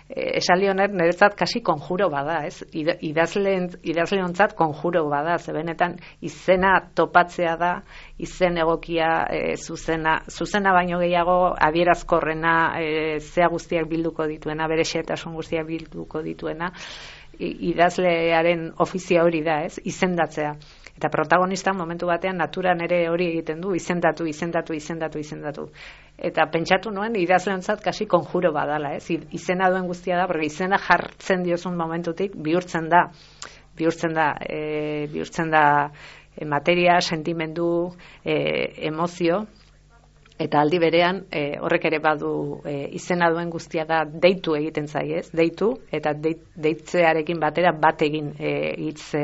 Speaker 4: esaldi honet niretzat kasi konjuro bada, ez? Idazleontzat konjuro bada, zebenetan izena topatzea da, izen egokia zuzena baino gehiago adierazkorrena, zea guztiak bilduko dituena, bere xehetasun guztiak bilduko dituena, idazlearen ofizia hori da, ez? Izendatzea. Eta protagonista momentu batean naturan ere hori egiten du, izendatu. Eta pentsatu nuen idazleontzat kasi konjuro badala, ez? Izena duen guztia da, porque izena jartzen diozun momentutik bihurtzen da materia, sentimendu, emozio, eta aldi berean horrek ere badu izena duen guztia da deitu egiten zaiez, deitu, eta deitzearekin batera bat egin hitz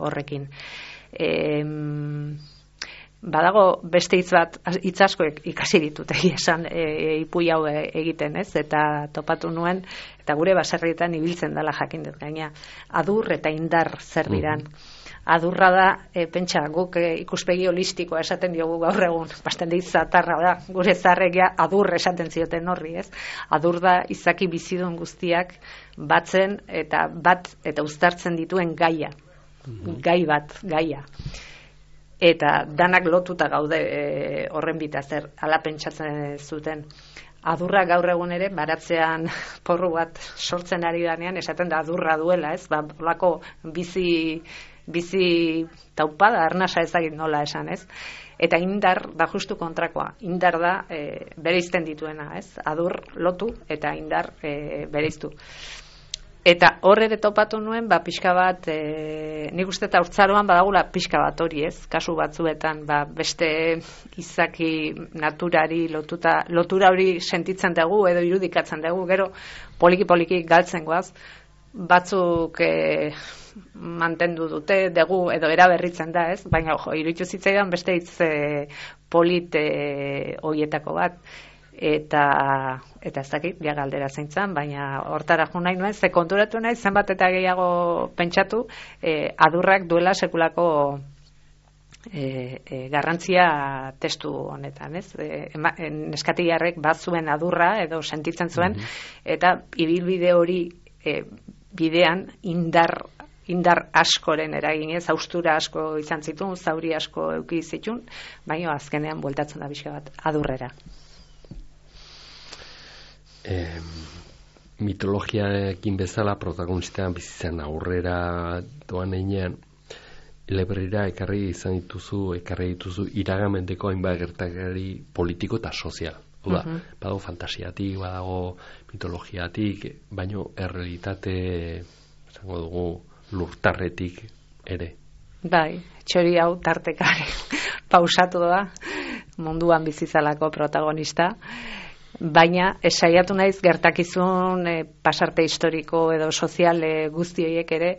Speaker 4: horrekin. badago beste hitz asko ikasi ditut esan ipui hau egiten, ez? Eta topatu nuen, eta gure baserrietan ibiltzen dela jakin dut gaina, adur eta indar zer diran. Adurra da, pentsa, guk ikuspegi holistikoa esaten diogu gaur egun, basten dit zatarra da, gure zarregia adur esaten zioten horri, ez? Adur da izaki bizidun guztiak batzen eta uztartzen dituen gaia, gaia. Eta danak lotuta gaude horren bitazer, hala pentsatzen zuten. Adurra gaur egun ere, baratzean porru bat sortzen ari danean, esaten da adurra duela, ez? Olako bizi taupada, arnasa ezagit nola esan, ez? Eta indar da justu kontrakoa. Indar da bereizten dituena, ez? Adur lotu eta indar bereiztu. Eta hor ere topatu nuen, pixka bat, nik uste eta urtzaroan badagula pixka bat hori, ez? Kasu batzuetan, beste izaki naturari lotura hori sentitzen dugu edo irudikatzen dugu, gero poliki galtzen goaz, batzuk mantendu dute dugu edo eraberritzen da, ez? Baina, iruditu zitzaidan beste hitz polit horietako bat. Eta ez dakit, ja galdera zeintzan, baina hortara jo nahi nuen, ze konturatu nahi, zenbat eta gehiago pentsatu, adurrak duela sekulako garrantzia testu honetan, ez? Neskatilarrek bat zuen adurra edo sentitzen zuen, eta ibilbide hori bidean indar askoren eraginez, haustura asko izan zituen, zauri asko eduki zituen, baina azkenean bueltatzen da pixka bat adurrera.
Speaker 2: Mitologiaekin bezala protagonistean bizitzen aurrera doan einean, eleberrira ekarri dituzu iragamendeko hainbat gertakari politiko eta sozial. Badago fantasiatik, badago mitologiatik, baino errealitate, esango dugu, lurtarretik ere.
Speaker 4: Bai, txori hau tartekare pausatu da, munduan bizizalako protagonista. Baina saiatu naiz gertakizun pasarte historiko edo sozial guzti horiek ere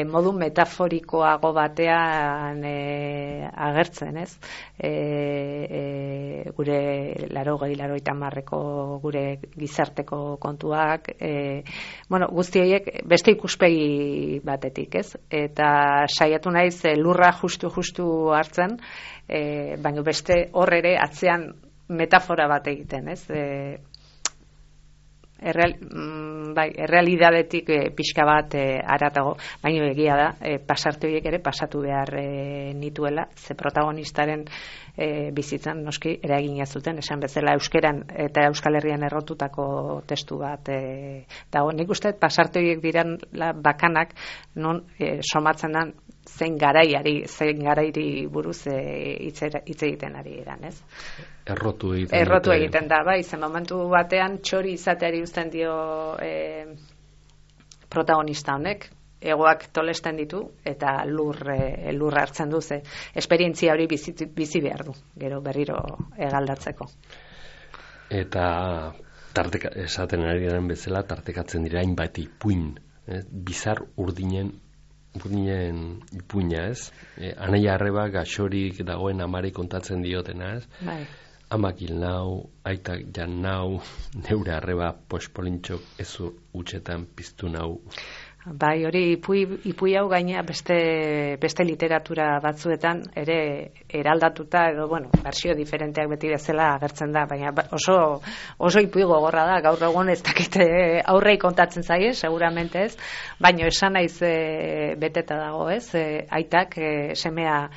Speaker 4: modu metaforikoago batean agertzen, ez? Gure 80-90 gure gizarteko kontuak, guzti horiek beste ikuspegi batetik, ez? Eta saiatu naiz lurra justu hartzen, baina beste hor ere atzean metafora bat egiten, ez? Errealidadetik pixka bat haratago, baina egia da, pasarte horiek ere pasatu behar nituela, ze protagonistaren bizitzan noski eragina zuten, esan bezala euskeran eta Euskal Herrian errotutako testu bat dago. Nik uste pasarte horiek diran bakanak non somatzen den zein garairi buruz hitz egiten ari eran, ez?
Speaker 2: Errotu
Speaker 4: egiten da, bai, zen momentu batean txori izateari uzten dio protagonista honek, egoak tolesten ditu eta lurra hartzen du, ze esperientzia hori bizi behar du, gero berriro egaldatzeko.
Speaker 2: Eta esaten ari garen bezala, tartekatzen dira hainbat ipuin, bizar urdinen ipuina, ez? Anaia arreba gaxorik dagoen amari kontatzen diotena, ez?
Speaker 4: Bai.
Speaker 2: Amak hil nau, aitak jan nau, neure arreba pospolintxok ezur utxetan piztu nau.
Speaker 4: Bai, hori ipui hau gaina beste literatura batzuetan ere eraldatuta edo, bersio diferenteak beti bezala agertzen da, baina oso ipui gogorra da, gaur egun ez dakite aurrei kontatzen zaie, seguramente ez, baina esan naiz beteta dago, ez, aitak semea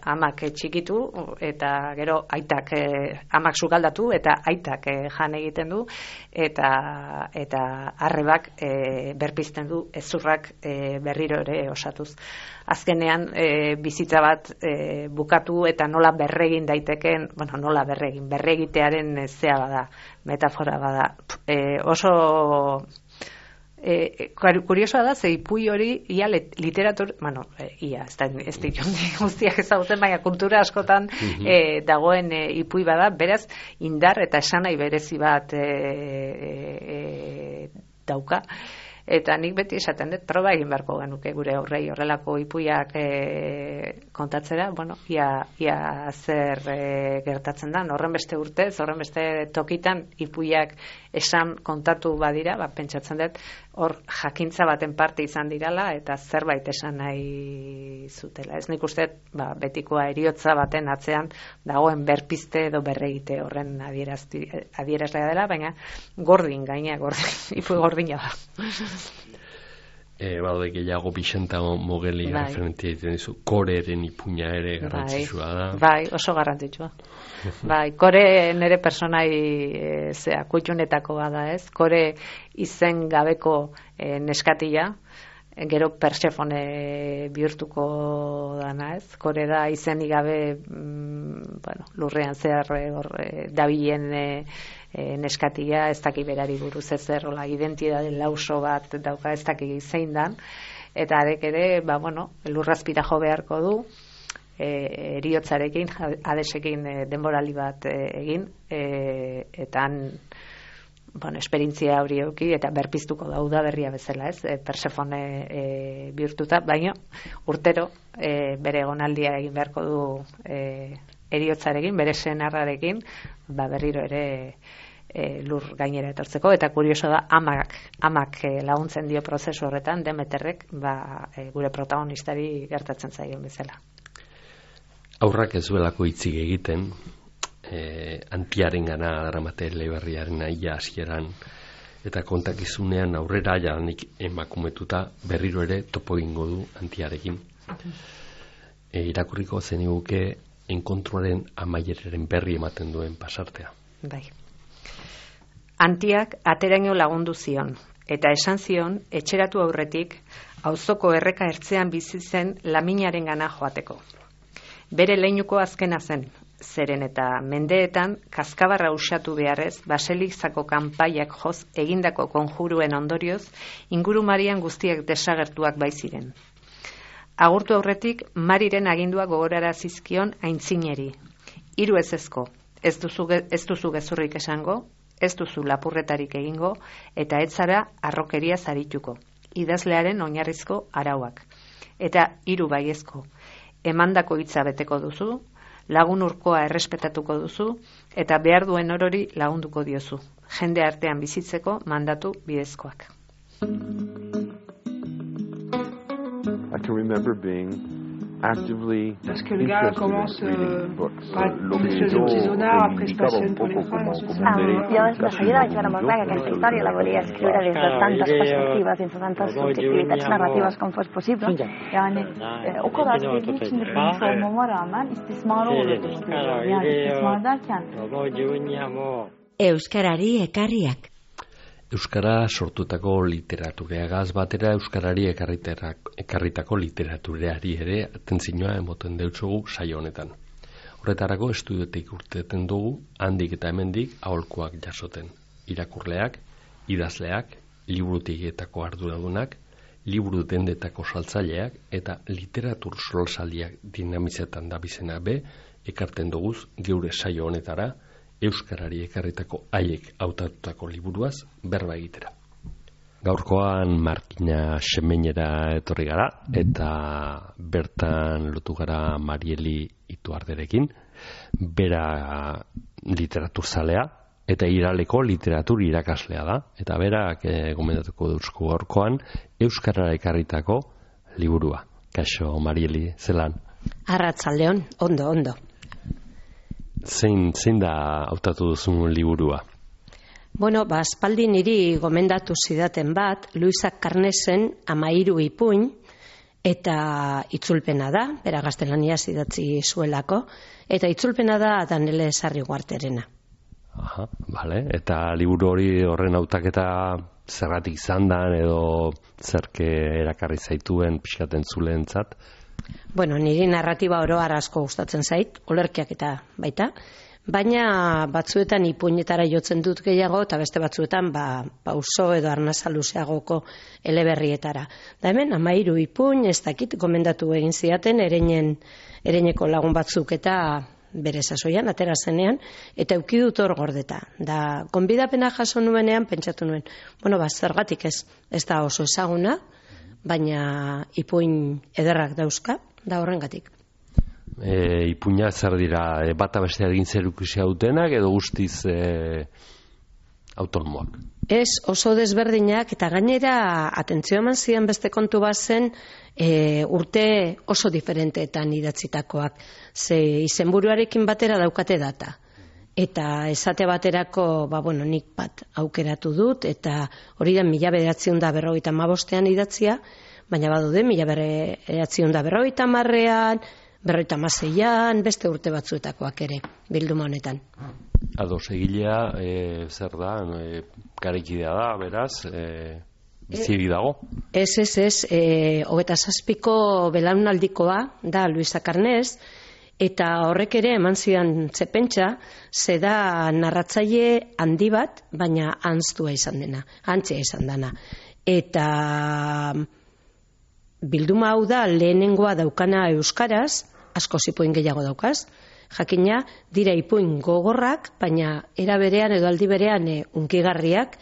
Speaker 4: amak txikitu eta gero aitak amak sukaldatu eta aitak jan egiten du eta arrebak berpizten du ezurrak berriro ere osatuz. Azkenean bizitza bat bukatu eta nola berregin daiteken, nola berregitearen zea bada, metafora bada. Oso kuriosoa da, ze ipui hori ia literatur, ez ditu guztiak ezagutzen, baina kultura askotan dagoen ipui bada, beraz indar eta esanai berezi bat dauka. Eta nik beti esaten dut, proba egin beharko genuke gure aurrei horrelako ipuiak kontatzera, bueno, ia zer gertatzen da, horren beste urtez, horren beste tokitan ipuiak esan kontatu badira, pentsatzen dut, hor jakintza baten parte izan dirala, eta zerbait esan nahi zutela. Ez nik uste, betikoa heriotza baten atzean dagoen berpiste edo berregite horren adierazlea dela, baina gordin, ipu gordina da.
Speaker 2: Baude gehiago Bixenta Mogeli referentia egiten dizu, Koreren ipuina ere garrantzitsua da.
Speaker 4: Bai, oso garrantzitsua. Bai, Kore nire personai kutxunetakoa da, ez? Kore izen gabeko neskatila, gero Persefone bihurtuko dana, ez? Kore da izenik gabe lurrean zehar dabilen neskatila, ez daki berari buruz ezer, identitate lauso bat dauka, ez daki zein dan, eta arek ere, lurrazpira jo beharko du, eriotzarekin, adesekin denborali bat egin, eta esperientzia hori euki, eta berpiztuko da udaberria bezala, ez? Persefone bihurtuta, baina urtero bere egonaldia egin beharko du eriotzarekin, bere senarrarekin, berriro ere lur gainera etortzeko, eta kurioso da amak laguntzen dio prozesu horretan, Demeterrek gure protagonistari gertatzen zaion bezala.
Speaker 2: Aurrak ez duelako hitzik egiten, antiaren gana daramate Eleberriaren aia hasieran, eta kontakizunean aurrera jadanik emakumetuta berriro ere topo egingo du antiarekin. Irakurriko zeniguke enkontruaren amaieraren berri ematen duen pasartea.
Speaker 4: Bai. Antiak ateraino lagundu zion, eta esan zion, etxeratu aurretik, auzoko erreka ertzean bizi zen laminaren gana joateko. Bere leinuko azkena zen, zeren eta mendeetan, kaskabarra usatu beharrez, baselizako kanpaiak joz egindako konjuruen ondorioz, ingurumarian guztiak desagertuak baiziren. Agurtu aurretik, Mariren agindua gogorara zizkion aintzineri. Hiru ezezko, ez duzu gezurrik esango, ez duzu lapurretarik egingo, eta ez zara arrokeria zarituko, idazlearen oinarrizko arauak. Eta hiru baiezko, emandako hitza beteko duzu, lagun urkoa errespetatuko duzu, eta behar duen orori lagunduko diozu, jende artean bizitzeko mandatu bidezkoak.
Speaker 6: I can remember being actively
Speaker 7: parce que le gars commence par être artisanal, après se passe pour les femmes.
Speaker 8: Yo de seguida vaig veure molt clar que aquesta història la volia escriure des de tantes perspectives, des de tantes subjectivitats narratives com fos possible. Yani o kadar sevdiği için de bilmiş olmama rağmen istismara uğradığını görüyorum. Yani istismar derken
Speaker 1: Euskarari ekarriak.
Speaker 2: Euskara sortutako literatureagaz batera euskarari ekarritako literatureari ere atentzioa emoten deutzugu saio honetan. Horretarako estudiotik urteten dugu handik eta hemendik aholkuak jasoten. Irakurleak, idazleak, liburutegietako arduradunak, liburu dendetako saltzaileak eta literatur solsaldiak dinamizetan dabizena ekarten duguz geure saio honetara euskarari ekarritako haiek hautatutako liburuaz berba egitera. Gaurkoan Markina Xemeinera etorri gara eta bertan lotu gara Marieli Ituarderekin, bera literaturzalea eta Iraleko literatur irakaslea da, eta berak gomendatuko duzku gaurkoan euskarara ekarritako liburua. Kaixo Marieli, zelan?
Speaker 1: Arratsaldeon, ondo.
Speaker 2: Zein da hautatu duzun liburua?
Speaker 1: Bueno, aspaldi niri gomendatu zidaten bat, Luisa Carnesen 13 ipuin, eta itzulpena da, bera gaztelaniaz idatzi zuelako, eta itzulpena da Danele Sarriguarterena.
Speaker 2: Aha, bale, eta liburu hori horren hautaketa zergatik izan da, edo zerke erakarri zaituen pixkaten zulentzat?
Speaker 1: Bueno, niri narratiba oro asko gustatzen zait, olerkiak eta baita, baina batzuetan ipuinetara jotzen dut gehiago, eta beste batzuetan pauso edo arnasa luzeagoko eleberrietara. Da hemen, 13 ipuin, ez dakit, gomendatu egin zidaten, ereineko lagun batzuk eta bere sasoian, atera zenean, eta euki dut hor gordeta. Da, gonbidapena jaso nuenean, pentsatu nuen, zergatik ez da oso ezaguna, baina ipuin ederrak dauzka, da horrengatik.
Speaker 2: Ipuina zer dira, bata bestea egin zerikusia dutenak, edo guztiz autonomoak?
Speaker 1: Ez, oso desberdinak, eta gainera atentzio eman ziren beste kontu bat zen urte oso diferenteetan idatzitakoak. Ze izenburuarekin batera daukate data. Eta esate baterako, nik bat aukeratu dut, eta hori da 1955ean idatzia, baina badude 1950ean, 56ean, beste urte batzuetakoak ere, bilduma honetan.
Speaker 2: Ados, egilea, zer da, garekidea da, beraz, biziegi dago?
Speaker 1: Ez, 27ko belaunaldikoa da Luisa Carnés, eta horrek ere eman zidan zepentsa, ze da narratzaile handi bat, baina antztua izan dena. Eta bilduma hau da lehenengoa daukana euskaraz, asko ipuin gehiago daukaz, jakina dira ipuin gogorrak, baina era berean edo aldi berean hunkigarriak,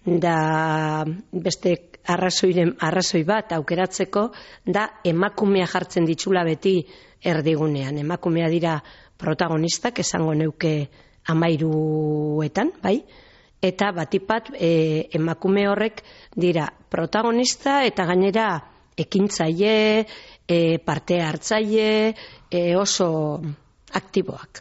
Speaker 1: da beste arrazoi bat aukeratzeko, da emakumea jartzen ditxula beti erdigunean. Emakumea dira protagonistak, esango neuke 13etan, bai? Eta batipat emakume horrek dira protagonista eta gainera ekintzaile, parte hartzaile, oso aktiboak.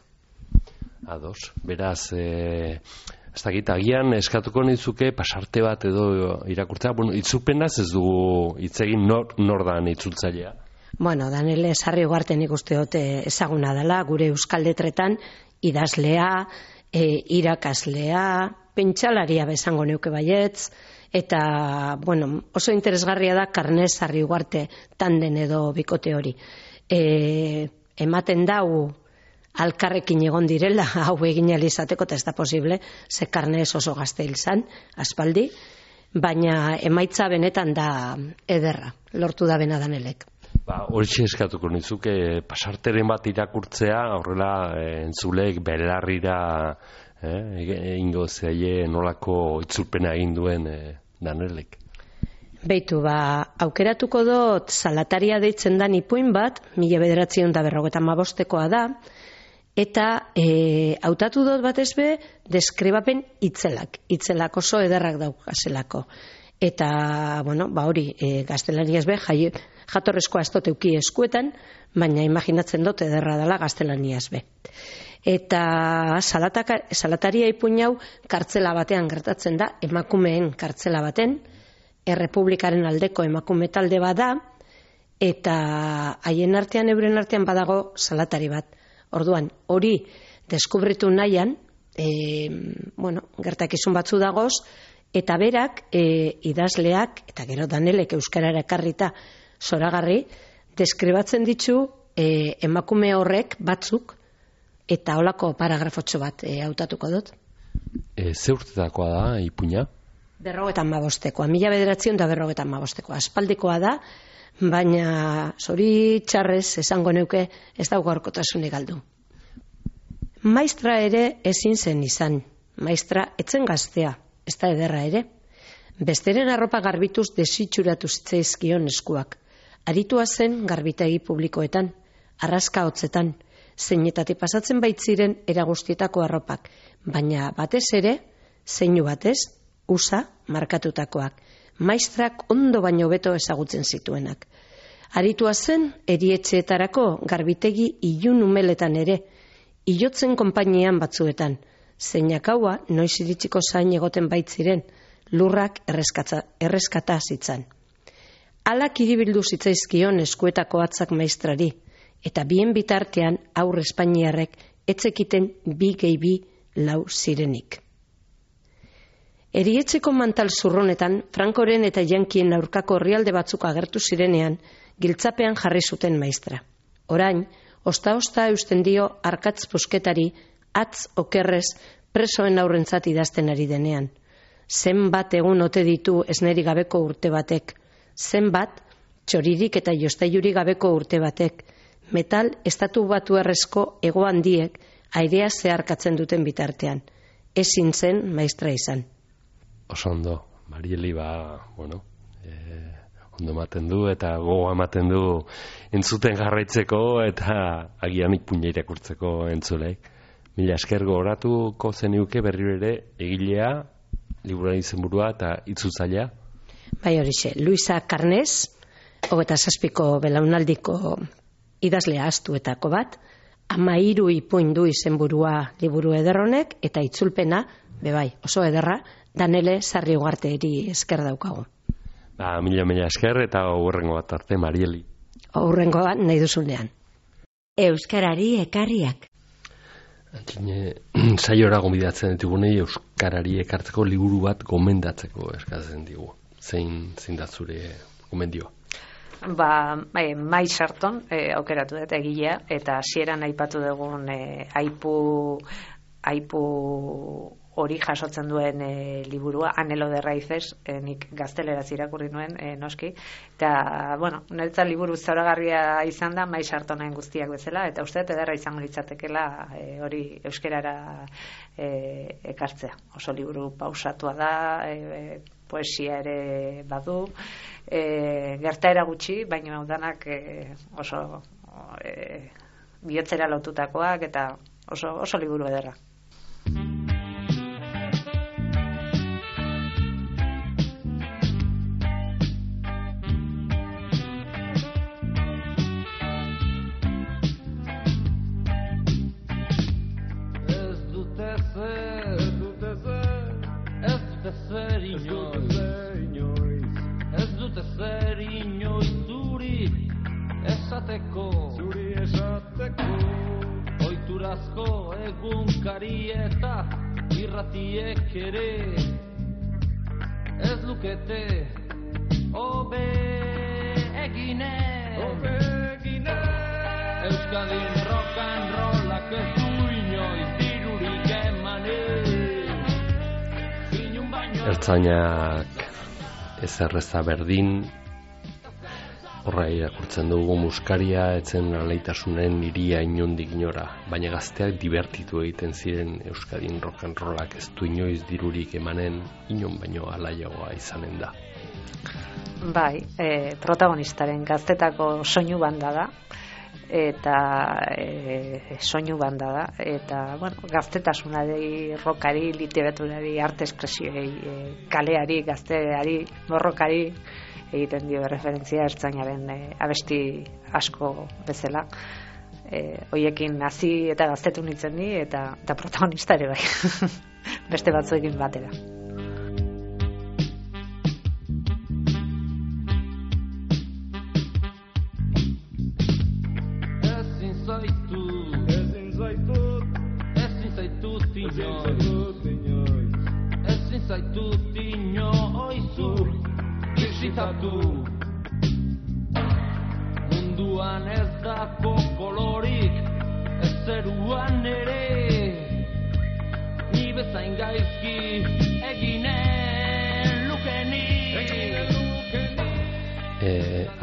Speaker 2: Ados, beraz, ez dakit, agian eskatuko nizuke pasarte bat edo irakurtzea, itzulpenaz ez dugu hitz egin nor dan itzultzailea?
Speaker 1: Danele Sarri Ugarte nik uste dute ezaguna dela, gure euskal letretan idazlea, irakaslea, pentsalaria bezango neuke baietz, eta, oso interesgarria da Carnés Sarri Ugarte tanden edo bikote hori. Ematen dau alkarrekin egon direla, hau egin izateko, eta ez da posible, ze Carnés oso gazte hil zan, aspaldi, baina emaitza benetan da ederra, lortu da bena Danelek.
Speaker 2: Horitxe eskatuko nizuke pasarteren bat irakurtzea, horrela entzulek belarrira ingo zeie nolako itzulpena egin duen Danelek.
Speaker 1: Beitu, aukeratuko dut Salataria deitzen dan ipuin bat, 1955ekoa da, eta hautatu dut batez be deskribapen itzelak oso ederrak daukazelako. Eta, hori, gaztelaniaz be, jatorrezkoa ez dut euki eskuetan, baina imaginatzen dut ederra dela gaztelaniaz be. Eta Salataria ipuin hau kartzela batean gertatzen da, emakumeen kartzela baten, Errepublikaren aldeko emakume talde bada, eta haien artean, euren artean badago salatari bat. Orduan, hori deskubritu nahian, gertakizun batzu dagoz, eta berak, idazleak, eta gero Danelek euskarara ekarrita zoragarri, deskribatzen ditu emakume horrek batzuk, eta holako paragrafotxo bat hautatuko dut.
Speaker 2: Ze urtetakoa da ipuina?
Speaker 1: 55ekoa, 1955ekoa, aspaldikoa da, baina zoritxarrez esango neuke ez dago gaurkotasunik galdu. Maistra ere ezin zen izan, maistra etzen gaztea, ez da ederra ere. Besteren arropa garbituz desitxuratu zitzaizkion eskuak. Aritua zen garbitegi publikoetan, arraska hotzetan, zeinetatik pasatzen baitziren eragustietako arropak, baina batez ere, zeinu batez, USA markatutakoak, maistrak ondo baino beto ezagutzen zituenak. Aritua zen erietxeetarako garbitegi ilun umeletan ere, ilotzen konpainian batzuetan, zeinak haua noiz iritsiko zain egoten baitziren, lurrak erreskata zitzan. Alak iribildu zitzaizkion eskuetako atzak maistrari, eta bien bitartean aurre espainiarrek etzekiten 2+2 zirenik. Erietxeko mantal zurronetan, Frankoren eta Jankien aurkako herrialde batzuk agertu zirenean, giltzapean jarri zuten maistra. Orain, osta-osta eusten dio arkatz pusketari, atz okerrez presoen aurrentzat idazten ari denean. Zenbat egun ote ditu esneri gabeko urte batek, zenbat txoririk eta jostailurik gabeko urte batek, metal estatu batuarrezko hego handiek airea zeharkatzen duten bitartean. Ezin zen maistra izan.
Speaker 2: Oso ondo, Marieli ondo ematen du eta gogoa ematen du entzuten jarraitzeko eta agian ipuina irakurtzeko entzulek. Mila esker gogoratuko zeniuke berriro ere egilea, liburuaren izenburua eta itzultzailea.
Speaker 1: Bai horixe, Luisa Karnes, 27ko belaunaldiko idazlea astuetako bat, 13 ipuin du izenburua liburu ederronek eta itzulpena, bebai, oso ederra, Danele Sarri Ugarteri esker daukagu.
Speaker 2: Mila esker eta hurrengo bat arte, Marieli.
Speaker 1: Hurrengo bat nahi duzunean.
Speaker 9: Euskarari ekarriak.
Speaker 2: Saiora gonbidatzen ditugunei euskarari ekartzeko liburu bat gomendatzeko eskatzen digu. Zein da zure gomendioa?
Speaker 4: Mai Sarton aukeratu dut egilea eta hasieran aipatu dugun aipu hori jasotzen duen liburua, Anhelo de Raíces, nik gazteleraz irakurri nuen, noski. Eta, niretzat liburu zoragarria izan da, Mai Sartonen guztiak bezala, eta uste ederra izango litzatekela hori euskerara ekartzea. Oso liburu pausatua da, poesia ere badu, gertaera gutxi, baina danak oso bihotzera lotutakoak, eta oso liburu ederra.
Speaker 10: Zuri esateko oiturazko egunkari eta irratiek ere ez lukete hobe egine Euskadin rock and rollak ez du inoiz dirurik emanen
Speaker 2: Ertzainak ezerreza berdin horra irakurtzen dugu muskaria etzen alaitasunen iria inondik inora, baina gazteak divertitu egiten ziren Euskadin rock and rollak ez du inoiz dirurik emanen inon baino alaiagoa izanen da.
Speaker 4: Bai, protagonistaren gaztetako soinu banda da eta soinu banda da eta gaztetasunari, rockari, literaturari, arte espresioei, kaleari, gazteari, borrokari egiten dio referentzia ertzainaren abesti asko bezala. Hoiekin hasi eta gaztetu nintzen ni eta protagonista ere bai. Beste batzuekin batera.
Speaker 10: Ezin zaitut inoizu bizitatu munduan ez dako kolorik ez zeruan ere ni bezain gaizki eginen lukenik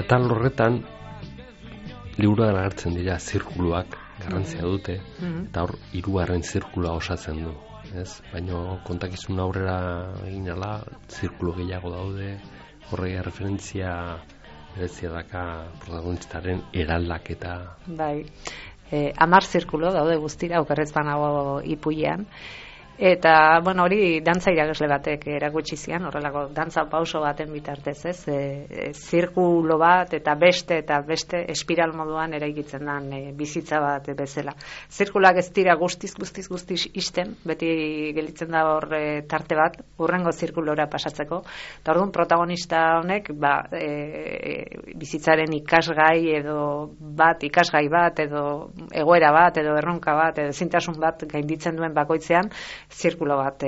Speaker 2: atal horretan liburuan agertzen dira zirkuluak garrantzia dute eta hor 3. zirkulua osatzen du, ez? Baina kontakizun aurrera egin ala zirkulu gehiago daude. Horrega referentzia berezia daka protagonistaren eraldaketa.
Speaker 4: Bai, 10 zirkulo daude guztira, okerrez banago ipuian. Eta, hori dantza irakasle batek erakutsi zian, horrelako dantza pauso baten bitartez, ez? Zirkulo bat eta beste espiral moduan eraikitzen den bizitza bat bezala. Zirkulak ez dira guztiz isten, beti gelitzen da hor tarte bat, hurrengo zirkulora pasatzeko. Eta orduan protagonista honek, bizitzaren ikasgai bat, edo egoera bat, edo erronka bat, edo ezintasun bat gainditzen duen bakoitzean, zirkulo bat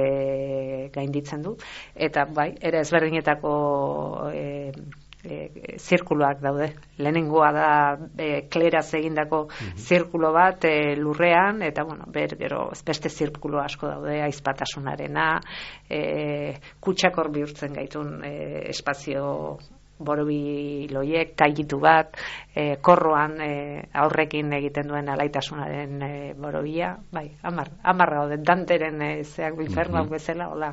Speaker 4: gainditzen du, eta bai, ere ezberdinetako zirkuloak daude. Lehenengoa da kleraz egindako zirkulo bat lurrean, eta gero beste zirkulo asko daude, aizpatasunarena, kutxakor bihurtzen gaitun espazio borobiloiek, taigitu bat, korroan aurrekin egiten duen alaitasunaren borobia, bai, 10 gaude, Danteren zeak infernuak bezala, hola,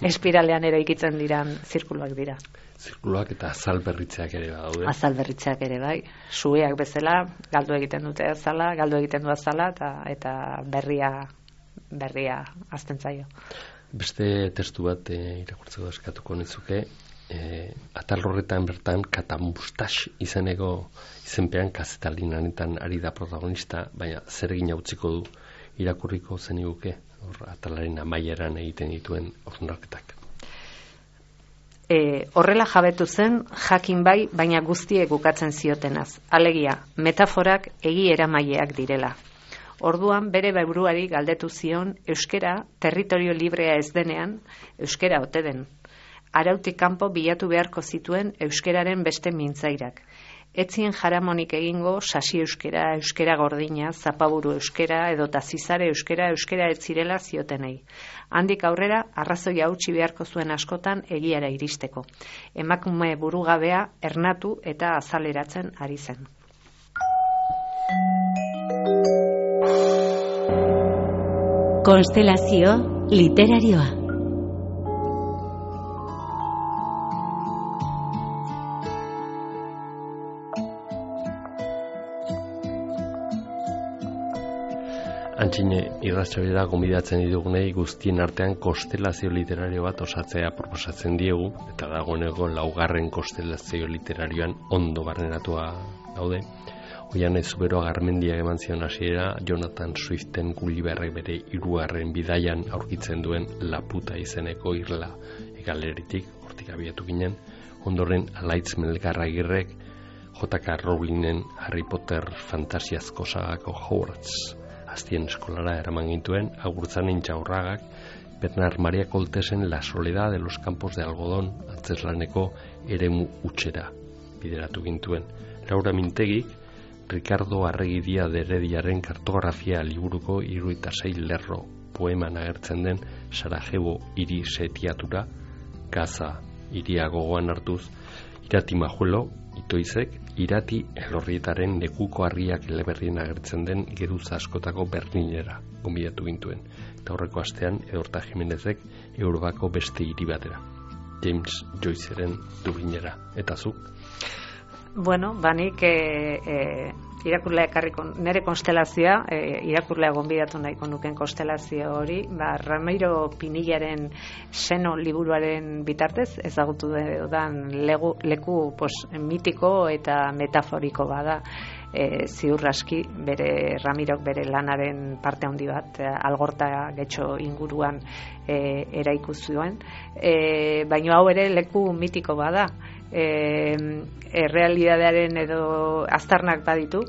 Speaker 4: espiralean ere ikitzen diran zirkuluak dira.
Speaker 2: Zirkuluak eta azal berritzeak ere badaude.
Speaker 4: Azal berritzeak ere, bai. Sueak bezala, galdu egiten dute azala, galdu egiten du azala, eta berria azten zaio.
Speaker 2: Beste testu bat irakurtzeko eskatuko nizuke, atal horretan bertan Katamustax izenpean kazetalinetan ari da protagonista, baina zer egin utziko du irakurriko zeniguke, atalaren amaieran egiten dituen hausnarketak.
Speaker 4: Horrela jabetu zen, jakin bai, baina guztiek ukatzen ziotenaz. Alegia, metaforak egi eramaileak direla. Orduan bere buruari galdetu zion euskera territorio librea ez denean, euskera ote den. Arautik kanpo bilatu beharko zituen euskeraren beste mintzairak. Etzien jaramonik egingo sasi euskera, euskera gordina, zapaburu euskera edota zizare euskera ez zirela ziotenei. Handik aurrera arrazoia utzi beharko zuen askotan egiara iristeko. Emakume burugabea ernatu eta azaleratzen ari zen.
Speaker 9: Konstelazio literarioa.
Speaker 2: Antxine irratsaioera gonbidatzen ditugunei guztien artean konstelazio literario bat osatzea proposatzen diegu, eta dagoeneko 4. konstelazio literarioan ondo barneratua gaude. Oian Zuberoa Garmendiak eman zion hasiera Jonathan Swiften Gulliverrek bere 3. bidaian aurkitzen duen Laputa izeneko irla egaleritik, hortik abiatu ginen. Ondoren Alaitz Melgarragirrek J.K. Rowlingen Harry Potter fantasiazko sagako Hogwarts aztien eskolara eraman gintuen, Agurtzan Intxaurragak Bernard Maria Coltesen La soledad de los campos de algodón antzeslaneko eremu utxera bideratu gintuen. Laura Mintegik Ricardo Arregidia de Herediaren kartografia liburuko 76 lerro poeman agertzen den Sarajevo hiri setiatura, Gaza hiria gogoan hartuz, Irati Majuelo Itoizek Irati Elorrietaren lekuko harriak eleberrien agertzen den geruza askotako Berlinera gonbidatu gintuen. Eta horreko astean Edorta Jimenezek Europako beste hiri batera, James Joyceren Dublinera. Eta zuk?
Speaker 4: Bueno, banik irakurlea ekarriko, nire konstelazioa, irakurlea gonbidatu nahiko nuken konstelazio hori, Ramiro Pinillaren Seno liburuaren bitartez, ezagutu dudan leku mitiko eta metaforiko bada, ziur aski, Ramirok bere lanaren parte handi bat, Algorta getxo inguruan eraiku zuen, baina hau ere leku mitiko bada, errealitatearen edo aztarnak baditu,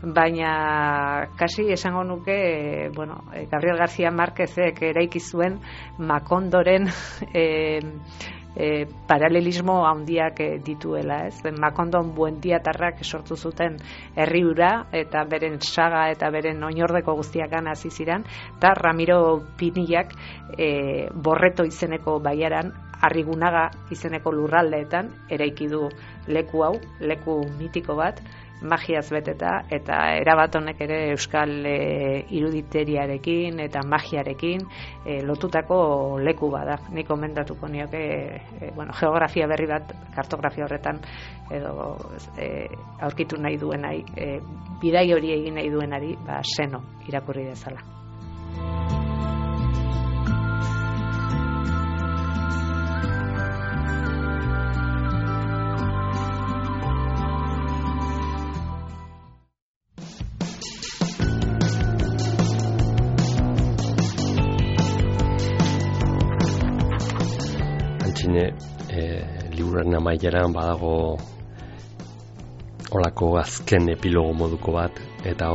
Speaker 4: baina kasi esango nuke, Gabriel García Márquezek eraiki zuen Makondoren paralelismo handiak dituela, ez? Makondon buendiatarrak sortu zuten herri hura eta beren saga eta beren oinordeko guztiakan hasi ziren, eta Ramiro Pinillak Borreto izeneko baiaran, Arrigunaga izeneko lurraldeetan eraiki du leku hau, leku mitiko bat, magiaz beteta, eta erabat honek ere euskal iruditeriarekin eta magiarekin lotutako leku bada. Nik komendatuko nioke geografia berri bat, kartografia horretan edo aurkitu nahi duenai, bidai hori egin nahi duenari, Seno irakurri dezala.
Speaker 2: Liburuaren amaieran badago olako azken epilogo moduko bat, eta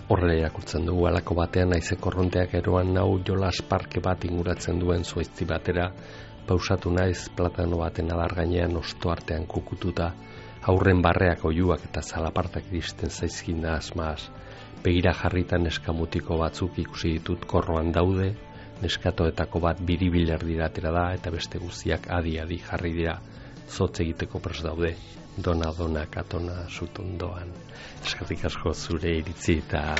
Speaker 2: horrela irakurtzen dugu. Halako batean naize korronteak eroan nau jolas parke bat inguratzen duen zuaizti batera, pausatu naiz platano baten adar gainean osto artean kukututa, aurren barreak oiuak eta zalapartak iristen zaizkin da asmaz. Begira jarritan eskamutiko batzuk ikusi ditut korroan daude, Neskatoetako bat biribiler diratera da eta beste guztiak adi-adi jarri dira. Zotz egiteko prest daude. Dona, katona, zutondoan. Eskerrik asko zure iritzi eta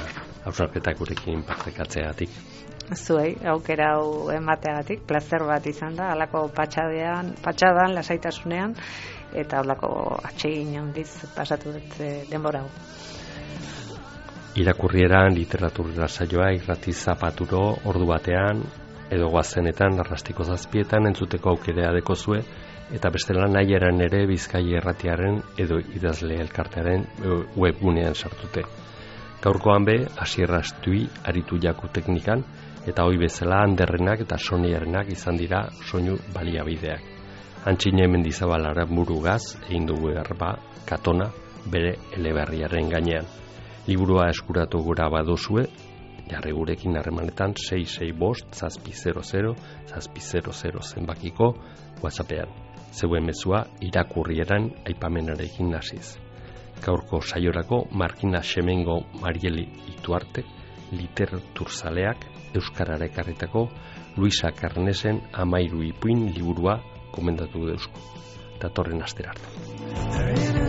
Speaker 2: hausnarketak gurekin partekatzeagatik.
Speaker 4: Zuei, aukera hau emateagatik, plazer bat izan da, halako patxadan, lasaitasunean, eta halako atsegin handiz pasatu dut denbora hau.
Speaker 2: Irakurrieran literatura saioa irrati zapaturo ordu batean edo goazenetan arrastiko 7etan entzuteko aukera dekozue eta bestela nahi eran ere Bizkaia Irratiaren edo idazle elkartearen webgunean sartute. Gaurkoan be Asier Astui aritu jaku teknikan eta hoi bezala Anderrenak eta Soniarenak izan dira soinu baliabideak. Antxine Mendizabal Aranburugaz egin dugu erba Katona bere eleberriaren gainean. Liburua eskuratu gura baduzue, jarri gurekin harremanetan 665-700-700 zenbakiko WhatsAppean. Zeuen mezua irakurrieran aipamenarekin hasiz. Gaurko saiorako Markina Xemengo Marieli Ituarte, literaturzaleak euskarara ekarritako Luisa Karnesen 13 ipuin liburua komendatu deuzko. Datorren astera arte.